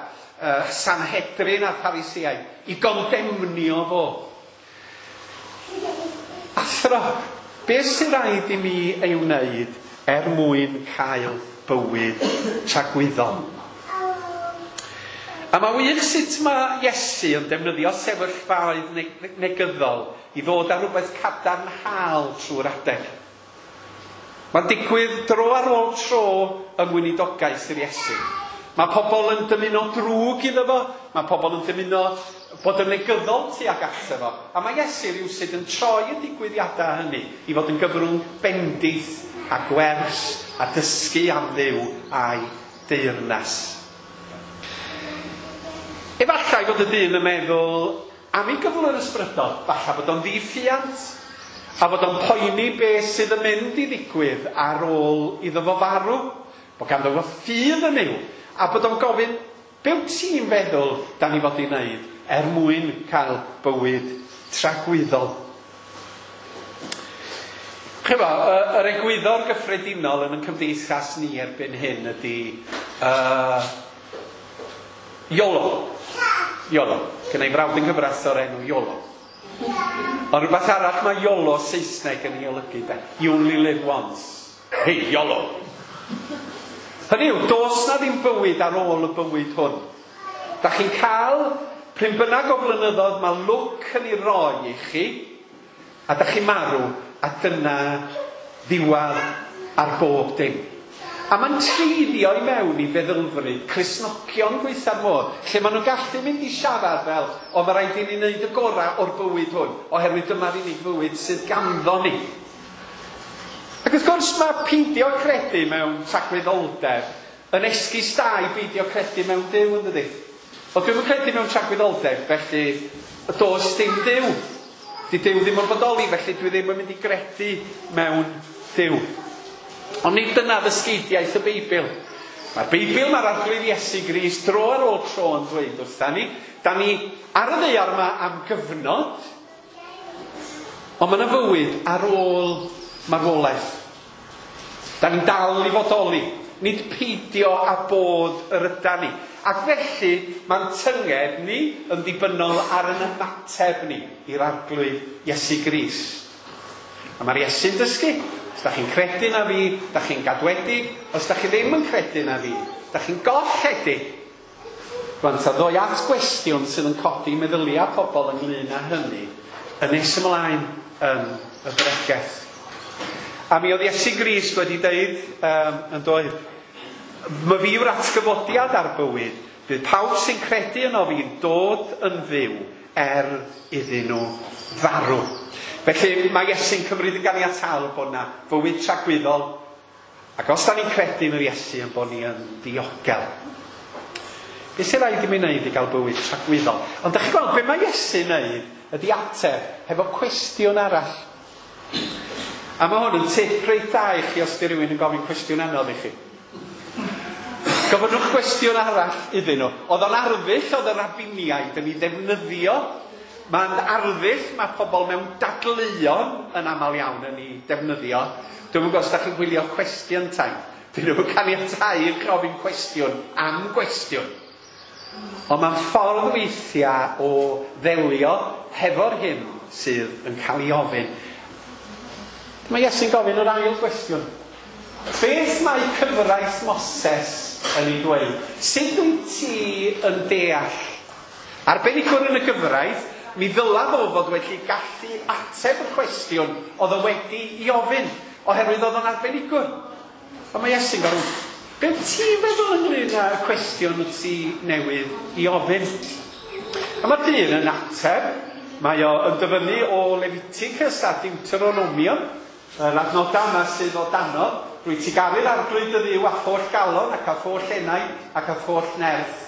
Sanhedrin a'r Phariseaid i gondemnio fo. Athro, beth sy'n rhaid i mi ei wneud er mwyn cael bywyd tragwyddol? A mae wych sut mae Iesu yn defnyddio sefyllfaoedd negyddol i ddod â rhywbeth cadarnhaol trwy'r adeg. Mae'n digwydd dro ar ôl tro yng ngweinidogaeth yr Iesu. Mae pobl yn dymuno drwg iddo fo, mae pobl yn dymuno bod yn negyddol tuag ato fo. A mae Iesu rywsut yn troi y digwyddiadau hynny i fod yn gyfrwng bendith a gwers a dysgu am Dduw a'i deyrnas. Efallai fod y dyn yn meddwl am ei gyflwr ysbrydol, falle bod o'n ddiffiant, a bod o'n poeni beth sydd yn mynd i ddigwydd ar ôl iddo fo farw, bod ganddo fo ffydd yn Nuw, a bod o'n gofyn, be wyt ti'n feddwl da ni fod i wneud er mwyn cael bywyd tragwyddol? Chyfo, yr egwyddor gyffredinol yn y cymdeithas ni erbyn hyn ydy YOLO. YOLO. Gynna i frawd yng nghyfraith o'r enw YOLO. Ond rhywbeth arall mae YOLO Saesneg yn ei olygu, de. You only live once. Hey, YOLO! Hynny yw, does na ddim bywyd ar ôl y bywyd hwn. Da chi'n cael, pryn bynnag o flynyddoedd, mae lwc yn ei roi i chi, a da chi'n marw, a dyna ddiwedd ar bob dim. A mae'n treiddio i mewn i feddylfryd Cristnogion gweitha'r modd, lle maen nhw'n gallu mynd i siarad fel, o mae rhaid i ni wneud y gorau o'r bywyd hwn, oherwydd dyma'r unig fywyd sydd ganddo ni. Ac wrth gwrs mae peidio credu mewn tragwyddoldeb yn esgus da i beidio credu mewn Duw, yn dydi? Wel, dwi'm yn credu mewn tragwyddoldeb, felly does dim Duw. Di Duw ddim yn bodoli, felly dwi ddim yn mynd i gredu mewn Duw. Ond nid dyna ddysgeidiaeth y Beibl. Mae'r Beibl, mae'r Arglwydd Iesu Grist dro ar ôl tro yn dweud wrtha ni, da ni ar y ddaear yma am gyfnod, ond mae yna fywyd ar ôl marwolaeth. Da ni'n dal i fodoli, nid peidio â bod yr ydan ni. Ac felly mae'n tynged ni yn ddibynnol ar yn ymateb ni i'r Arglwydd Iesu Grist. A mae'r Iesu'n dysgu, os da chi'n credu na fi, da chi'n gadwedig, os da chi ddim yn credu na fi, da chi'n golledig. Rwan, ta ddoi at gwestiwn sydd yn codi meddyliau pobl ynglyn â hynny, yn nes ymlaen yn y bregeth. A mi oedd Iesu Grist wedi deud, yn doedd, "Ma fi yw'r atgyfodiad a'r bywyd, bydd pawb sy'n credu yno fi'n dod yn fyw er iddyn nhw farw." Felly mae Iesu'n cymryd yn ganiataol bod yna fywyd tragwyddol, ac os da ni'n credu yn yr Iesu yn bod ni yn diogel. Be sy'n rhaid i mi wneud i gael bywyd tragwyddol? Ond da chi'n gweld, be mae Iesu'n wneud ydy ateb hefo cwestiwn arall. A mae hwn yn tip reit dda i chi os di rhywun yn gofyn cwestiwn anodd i chi. Gofynnwch gwestiwn arall iddyn nhw. Oedd o'n arddull oedd y rabiniaid yn ei ddefnyddio. Mae'n arddull mae pobl mewn dadleuon yn aml iawn yn ei defnyddio. Dwi'm yn gwybod os da chi'n gwylio Question Time. Dyn nhw'n caniatáu i gofyn cwestiwn am gwestiwn. Ond mae'n ffordd weithiau o ddelio hefo'r hyn sydd yn cael ei ofyn. Mae Iesu'n gofyn yr ail gwestiwn. Beth mae cyfraith Moses yn ei dweud? Sut wyt ti yn deall? Arbenigwr yn y gyfraith, mi ddyla fo fod wedi gallu ateb y cwestiwn oedd o wedi i ofyn, oherwydd oedd o'n arbenigwr. A mae Iesu'n gofyn, be wyt ti'n feddwl ynglyn â'r cwestiwn wyt ti newydd i ofyn? A mae'r dyn yn ateb, mae o yn dyfynnu o Leviticus a Deuteronomium, yr adnodau yma sydd o danodd. Rwyt ti garu'r Arglwydd dy Dduw â holl galon ac â holl enaid ac â holl nerth.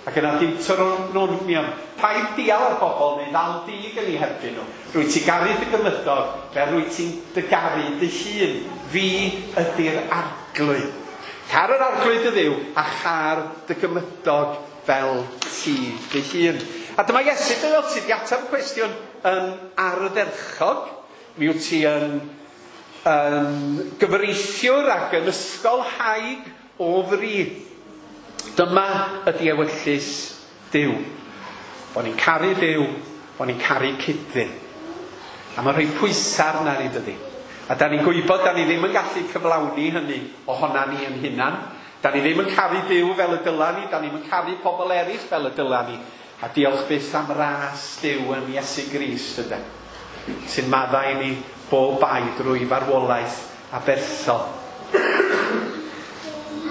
Ac yna Deuteronomium, paid dial ar bobl neu ddal dig yn eu herbyn nhw. Rwyt ti garu dy gymydog fel rwyt ti'n dy garu dy hun. Fi ydy'r Arglwydd. Car yr Arglwydd dy Dduw a char dy gymydog fel ti dy hun. A dyma Iesu, dyna ti di ateb y cwestiwn yn ardderchog. Mi wyt ti yn gyfreithiwr ac yn ysgolhaig o fri. Dyma ydy ewyllys Duw. Bo ni'n caru Duw, bo ni'n caru cyd-ddyn. A mae'n rhoi pwysau arna ni, dydy. A da ni'n gwybod da ni ddim yn gallu cyflawni hynny ohona ni yn hunan. Da ni ddim yn caru Duw fel y dyla ni, da ni'n yn caru pobl eraill fel y dyla ni. A diolch byth am ras Duw yn Iesu Grist, ydy, sy'n maddau ni bob bai drwy farwolaeth aberthol.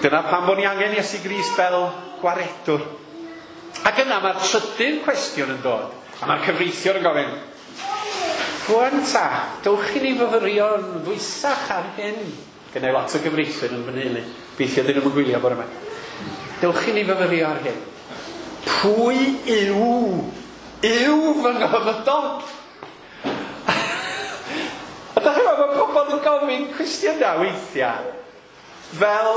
Dyna pam bod ni angen Iesu Grist fel gwaredwr. Ac yna mae'r trydydd cwestiwn yn dod. A mae'r cyfreithiwr yn gofyn, rwan ta, dowch i ni fyfyrio'n ddwysach ar hyn. Gynna i lot o gyfreithwyr yn fy nheulu. Gobeithio dyn nhw'n gwylio bore yma. Dewch i ni fyfyrio ar hyn. Pwy yw fy nghymydog? A da chi'n meddwl, mae pobl yn gofyn cwestiynau weithiau fel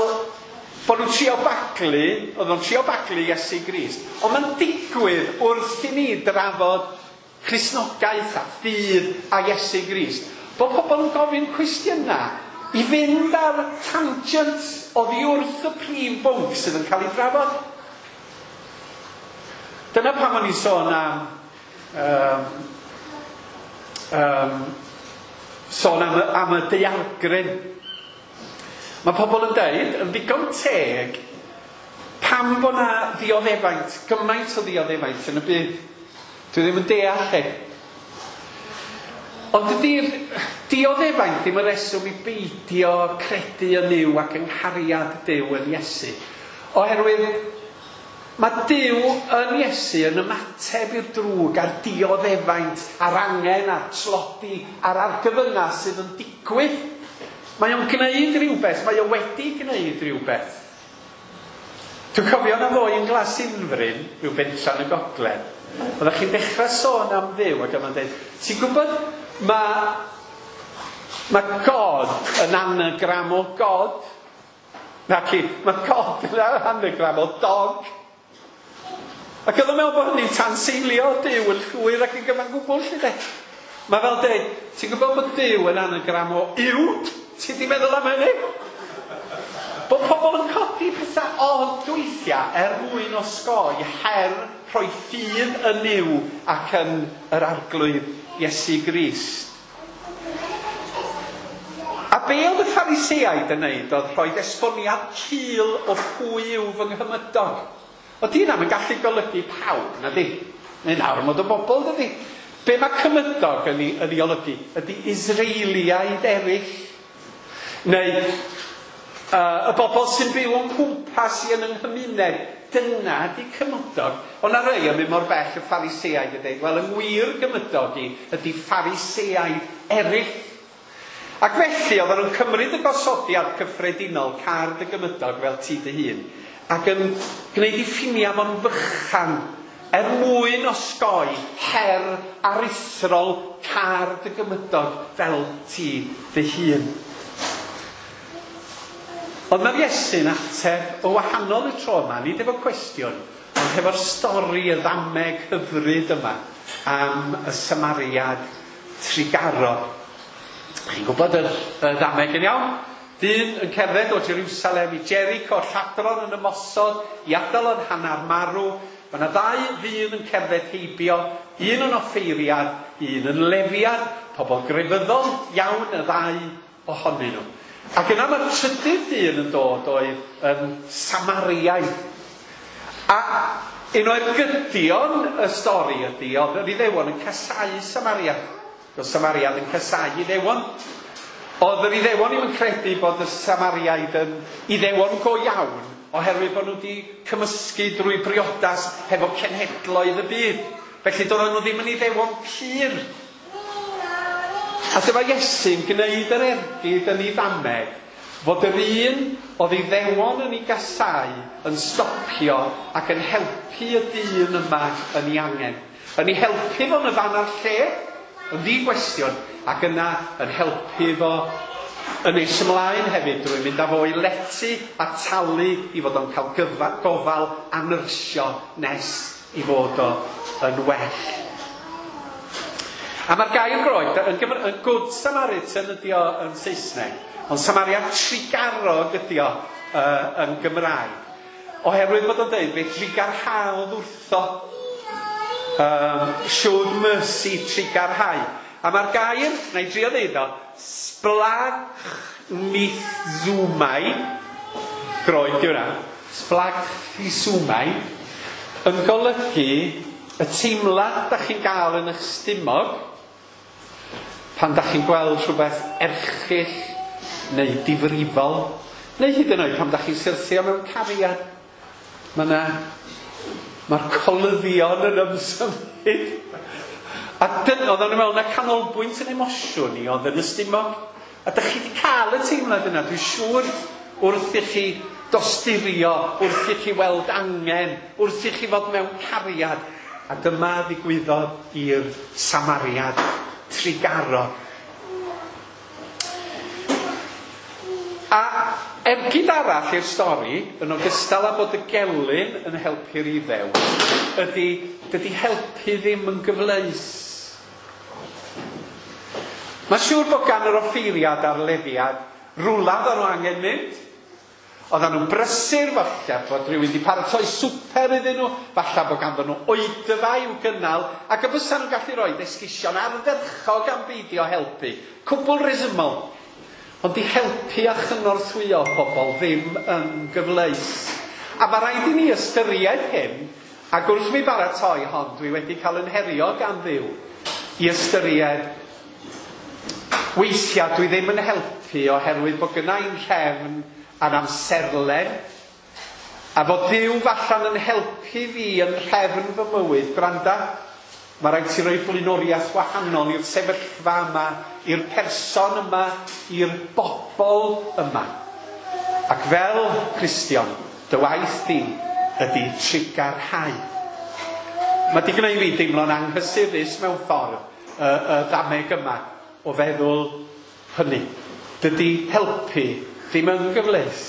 bod nhw'n trio baglu, oedd nhw'n trio baglu Iesu Grist. Ond mae'n digwydd wrth i ni drafod Cristnogaeth a ffydd a Iesu Grist, bod pobl yn gofyn cwestiynau i fynd ar tangent oddi wrth y prif bwnc sydd yn cael ei drafod. Dyna pam o'n i'n sôn am am y daeargryn. Mae pobl yn deud, yn ddigon teg, pam bod na ddioddefaint, gymaint o ddioddefaint yn y byd. Dwi ddim yn deall e. Ond dydy'r dioddefaint ddim yn reswm i beidio credu yn Nuw ac yng nghariad Duw yn Iesu. Oherwydd mae Duw yn Iesu yn ymateb i'r drwg a'r dioddefaint a'r angen a'r tlodi a'r argyfyngau sydd yn digwydd. Mae o'n gwneud rhywbeth, mae o wedi gwneud rhywbeth. Dwi'n cofio na ddoe yn Glasinfryn, rhyw bentra yn y gogledd. Oeddech chi'n dechrau sôn am Dduw ac oedd o'n dweud, ti'n gwybod, mae God yn anagram o God. Naci, mae God yn anagram o dog. Ac oedd o'n meddwl bod hynny'n tanseilio Duw yn llwyr ac yn gyfan gwbl, lly de. Mae fel dweud, ti'n gwybod bod Duw yn anagram o uwd? Ti di meddwl am hynny? Bod pobl yn codi pethau od weithiau er mwyn osgoi her rhoi ffydd yn Nuw ac yn yr Arglwydd Iesu Grist. A be oedd y Phariseaid yn neud oedd rhoi esboniad cul o pwy yw fy nghymydog. O di na'm yn gallu golygu pawb, na di? Neu'n ormod o bobl, dydi? Be mae cymydog yn ei olygu ydy Israeliaid eraill. Neu y bobl sy'n byw o'n cwmpas i yn yng nghymuned. Dyna ydy cymydog. Ond na rei yn mynd mor bell y Phariseaid yn dweud, wel, yng ngwir gymydog i ydy Phariseaid eraill. Ac felly oedden nhw'n cymryd y gosodiad cyffredinol car dy gymydog fel ti dy hun ac yn gwneud i ffiniau fo'n fychan er mwyn osgoi her aruthrol car dy gymydog fel ti dy hun. Ond mae'r Iesu'n ateb o wahanol y tro yma, nid efo cwestiwn, ond hefo'r stori y ddameg hyfryd yma am y Samariad trugarog. Chi'n gwybod y ddameg yn iawn? Dyn yn cerdded o Jerusalem i Jericho, lladron yn ymosod, i adael yn hanner marw. Mae yna ddau ddyn yn cerdded heibio, un yn offeiriad, un yn lefiad, pobl grefyddol iawn y ddau ohonyn nhw. Ac yna mae'r trydydd dyn yn dod oedd yn Samariaid. A un o'r gydion y stori ydy, oedd yr Iddewon yn casáu Samaria. Oedd Samariad yn casáu Iddewon. Oedd yr Iddewon ddim yn credu bod y Samariaid yn Iddewon go iawn, oherwydd bod nhw wedi cymysgu drwy briodas hefo cenhedloedd y byd. Felly doedden nhw ddim yn Iddewon pur. A dyma Iesu'n gwneud yr ergyd yn ei ddameg fod yr un oedd Iddewon yn ei gasau yn stopio ac yn helpu y dyn yma yn ei angen. Yn ei helpu fo yn y fan a'r lle, yn ddi-gwestiwn, ac yna yn helpu fo yn nes ymlaen hefyd drwy mynd â fo i lety a talu i fod o'n cael gofal a nyrsio nes i fod o yn well. A mae'r gair Groeg yn Good Samaritan ydi o yn Saesneg, ond Samaria trugarog ydi o yn Gymraeg. Oherwydd bod o'n dweud, fe trugarhaodd wrtho. Showed mercy, trugarhau. A mae'r gair, na i drio ddeud o, splagchnizomai, Groeg di hwnna, splagchnizomai, yn golygu y teimlad da chi'n gael yn eich stumog pan da chi'n gweld rhywbeth erchyll neu difrifol, neu hyd yn oed pan da chi'n syrthio mewn cariad. Mae'r colyddion yn ymsymud. A dyna, oedden nhw'n meddwl na canolbwynt yn emosiwn i oedd yn y stumog. A da chi wedi cael y teimlad yna, dwi'n siŵr, wrth i chi dosturio, wrth i chi weld angen, wrth i chi fod mewn cariad. A dyma ddigwyddodd i'r Samariad trugarog. A ergyd arall i'r stori, yn ogystal â bod y gelyn yn helpu'r Iddew, ydy, dydy helpu ddim yn gyfleus. Mae'n siŵr bod gan yr offeiriad a'r lefiad rwla oedden nhw angen mynd. Oedden nhw'n brysur, falle bod rhywun wedi paratoi swper iddyn nhw, falle bod ganddyn nhw oedfa i'w gynnal, ac y bysa nhw'n gallu rhoi esgusion ardderchog am beidio helpu. Cwbl resymol. Ond i helpu a chynorthwyo pobl ddim yn gyfleus. A mae rhaid i ni ystyried hyn, ac wrth mi baratoi hon, dwi wedi cael yn herio gan Dduw i ystyried weithiau dwi ddim yn helpu oherwydd bod gynna i'n rhefn a'n amserlen, a fod Duw falle'n yn helpu fi yn rhefn fy mywyd. Gwranda, mae rhaid ti roi blaenoriaeth wahanol i'r sefyllfa yma, i'r person yma, i'r bobl yma. Ac fel Cristion, dy waith di ydy trugarhau. Mae di gwneud fi deimlo'n anghysurus mewn ffordd, y ddameg yma, o feddwl hynny. Dydy helpu ddim yn gyfleus.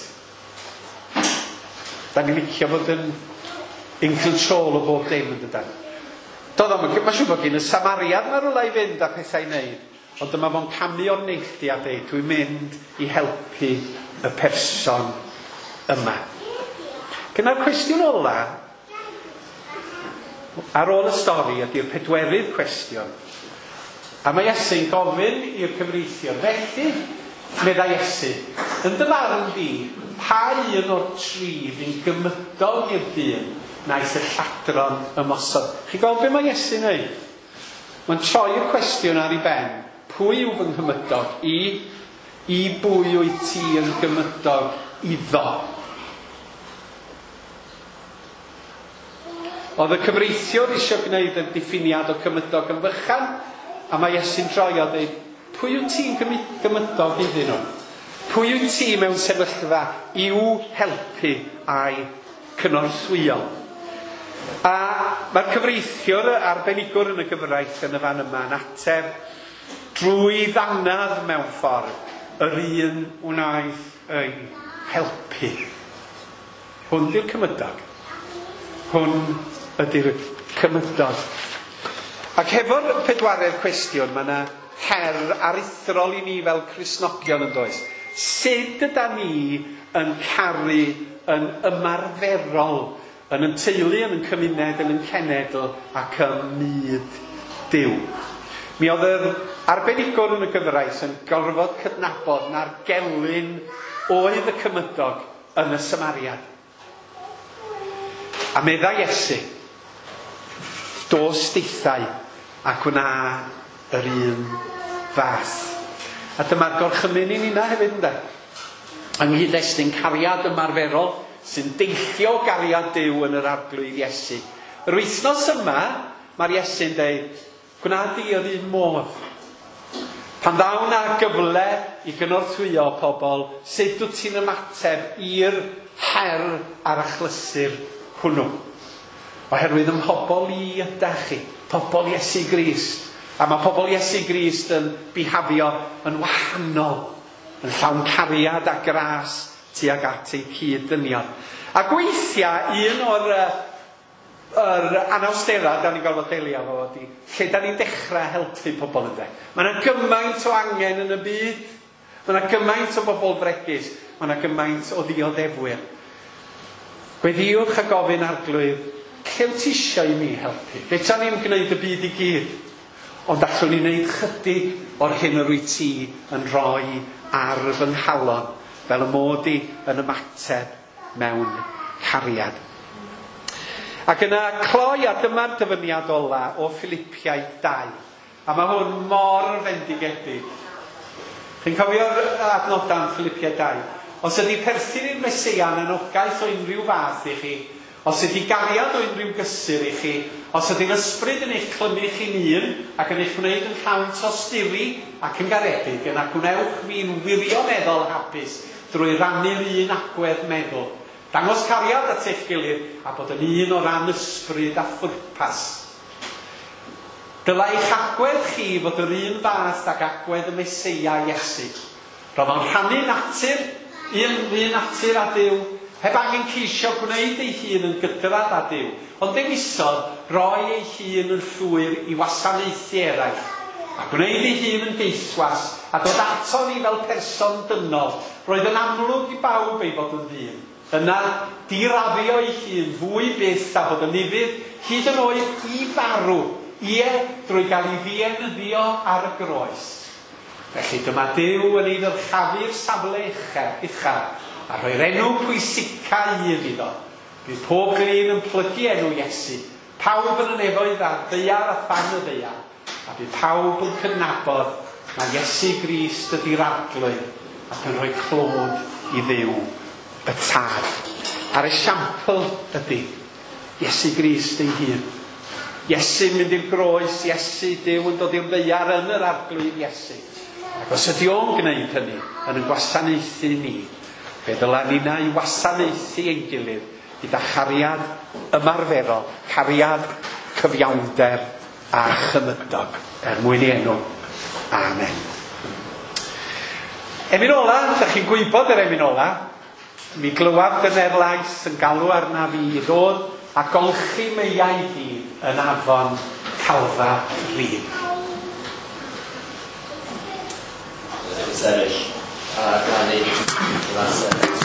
Da ni'n licio fod yn in control o bob dim yn dydan. Mae'n siŵr bod gen y Samariad mae rhywle i fynd a pethau i wneud, ond dyma fo'n camu o'r neilltu a dweud, dwi'n mynd i helpu y person yma. Gyda'r cwestiwn ola, ar ôl y stori, ydy'r pedwerydd cwestiwn. A mae Iesu'n gofyn i'r cyfreithiwr, felly, meddai Iesu, yn dy farn di, pa un o'r tri fu'n gymydog i'r dyn naeth y lladron ymosod? Chi'n gweld be mae Iesu'n neud? Mae'n troi'r cwestiwn ar ei ben. Pwy yw fy nghymydog? I bwy wyt ti yn gymydog iddo? Oedd y cyfreithiwr eisiau gwneud y diffiniad o cymydog yn fychan, a mae Iesu'n troi a dweud, pwy wyt ti'n gymydog iddyn nhw? Pwy wyt ti mewn sefyllfa i'w helpu a'i cynorthwyo? A mae'r cyfreithiwr arbenigwr yn y gyfraith yn y fan yma yn ateb drwy ddanadd mewn ffordd, yr un wnaeth ei helpu. Hwn di'r cymydog. Hwn ydy'r cymydog. Ac hefo'r pedwaredd cwestiwn, mae yna her aruthrol i ni fel Cristnogion yn does. Sut yda ni yn caru yn ymarferol? yn yn teulu, yn yn cymuned, yn yn cenedl ac ym myd Duw. Mi oedd yr arbenigwr yn y gyfraith yn gorfod cydnabod na'r gelyn oedd y cymydog yn y Samariad. A meddai Iesu, dos deithau a gwna yr un fath. A dyma'r gorchymyn i ninna hefyd, ynde? Yng nghyd-destun cariad ymarferol sy'n deillio gariad Duw yn yr Arglwydd Iesu. Yr wythnos yma, mae'r Iesu'n deud, gwna di yr un modd. Pan ddaw 'na gyfle i gynorthwyo pobl, sut wyt ti'n ymateb i'r her a'r achlysur hwnnw? Oherwydd ym mhobl i ydach chi, pobl Iesu Grist. A mae pobl Iesu Grist yn bihafio yn wahanol, yn llawn cariad a gras tuag at eu cyd-dynion. Ac weithiau, un o'r yr anawsterau da ni'n gorfod delio efo ydy lle da ni'n dechrau helpu pobl, ynde. Mae yna gymaint o angen yn y byd. Mae yna gymaint o bobl fregus. Mae yna gymaint o ddioddefwyr. Gweddïwch a gofyn, Arglwydd, lle wyt ti eisiau i mi helpu? Fedra ni'm gwneud y byd i gyd, ond allwn ni wneud chydig o'r hyn yr wyt ti yn rhoi ar fy nghalon, fel y mod i yn ymateb mewn cariad. Ac yna cloi, a dyma'r dyfyniad ola o Philipiaid 2. A mae hwn mor fendigedig. Chi'n cofio'r adnodau yn Philipiaid 2? Os ydy perthyn i'r Meseia yn anogaeth o unrhyw fath i chi, os ydy gariad o unrhyw gysur i chi, os ydy'r ysbryd yn eich clymu chi'n un ac yn eich gwneud yn llawn tosturi ac yn garedig, yna gwnewch fi'n wirioneddol hapus drwy rannu'r un agwedd meddwl. Dangos cariad at eich gilydd a bod yn un o ran ysbryd a phwrpas. Dylai eich agwedd chi fod yr un fath ag agwedd y Meseia Iesu. Roedd o'n rhannu natur, un un natur â Duw, heb angen ceisio gwneud ei hun yn gydradd â Duw, ond dewisodd roi ei hun yn llwyr i wasanaethu eraill, a gwneud ei hun yn geithwas, a dod ato ni fel person dynol. Roedd yn amlwg i bawb ei fod yn ddyn. Yna, diraddio ei hun fwy byth a bod yn ufudd, hyd yn oed i farw, ie, drwy gael ei ddienyddio ar y groes. Felly dyma Duw yn ei ddyrchafu'r safle uchaf, a rhoi'r enw pwysica un iddo. Bydd pob glin yn plygu enw Iesu, pawb yn y nefoedd a'r ddaear a than y ddaear, a bydd pawb yn cydnabod mai Iesu Grist ydy'r Arglwydd ac yn rhoi clod i Dduw y Tad. A'r esiampl ydy Iesu Grist ei hun. Iesu'n mynd i'r groes, Iesu, Duw yn dod i'r ddaear yn yr Arglwydd Iesu. Ac os ydy o'n gwneud hynny, yn yn gwasanaethu ni, fe ddyla ninna i wasanaethu ein gilydd gyda chariad ymarferol, cariad cyfiawnder a chymydog, er mwyn ei enw. Amen. Emyn ola, ydych chi'n gwybod yr emyn ola. Mi glywaf dyner lais yn galw arnaf fi i ddod a golchi meiau i yn afon Calfari.
Sefyll a canu sefyll.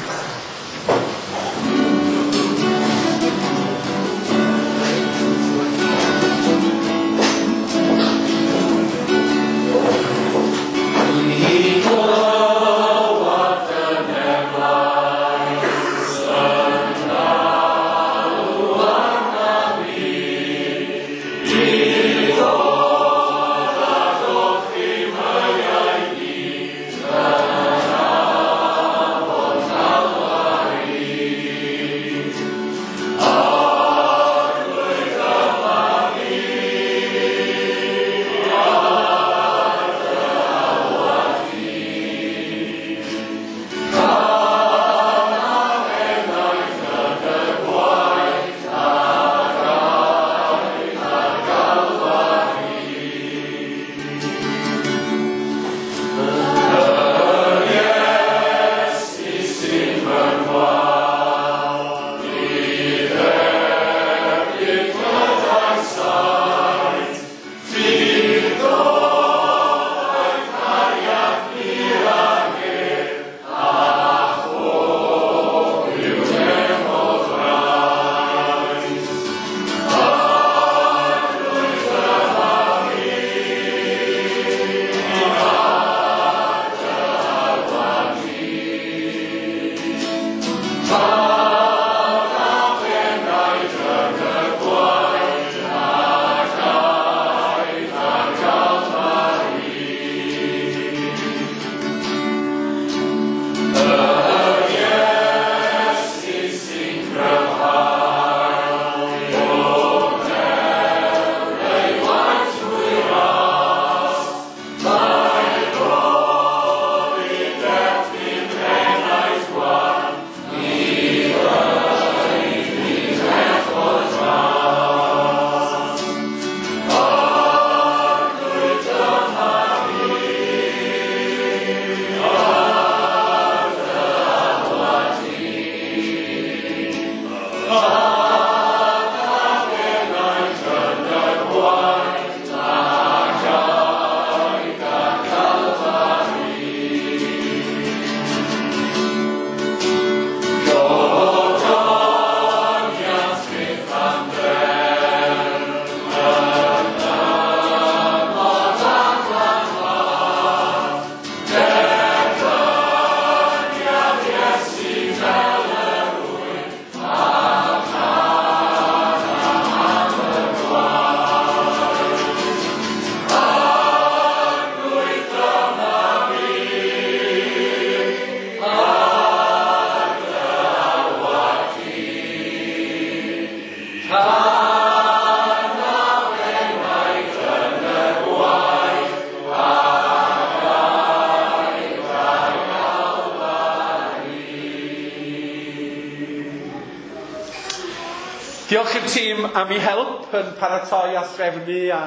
Diolch i'r tîm am ei help yn paratoi a threfnu a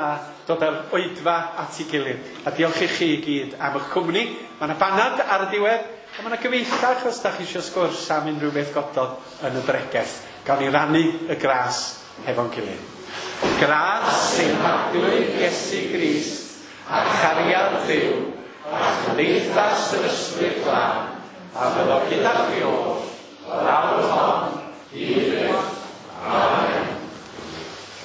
dod â'r oedfa at ei gilydd. A diolch i chi i gyd am eich cwmni. Mae yna banad ar y diwedd, a mae yna gyfeillach os da chi eisiau sgwrs am unrhyw beth gododd yn y bregeth. Gawn ni rannu y gras hefo'n gilydd. Gras ein Harglwydd Iesu Grist a chariad Dduw a chymdeithas yr Ysbryd Glân a fyddo gyda chi oll o'r awr hon hyd byth.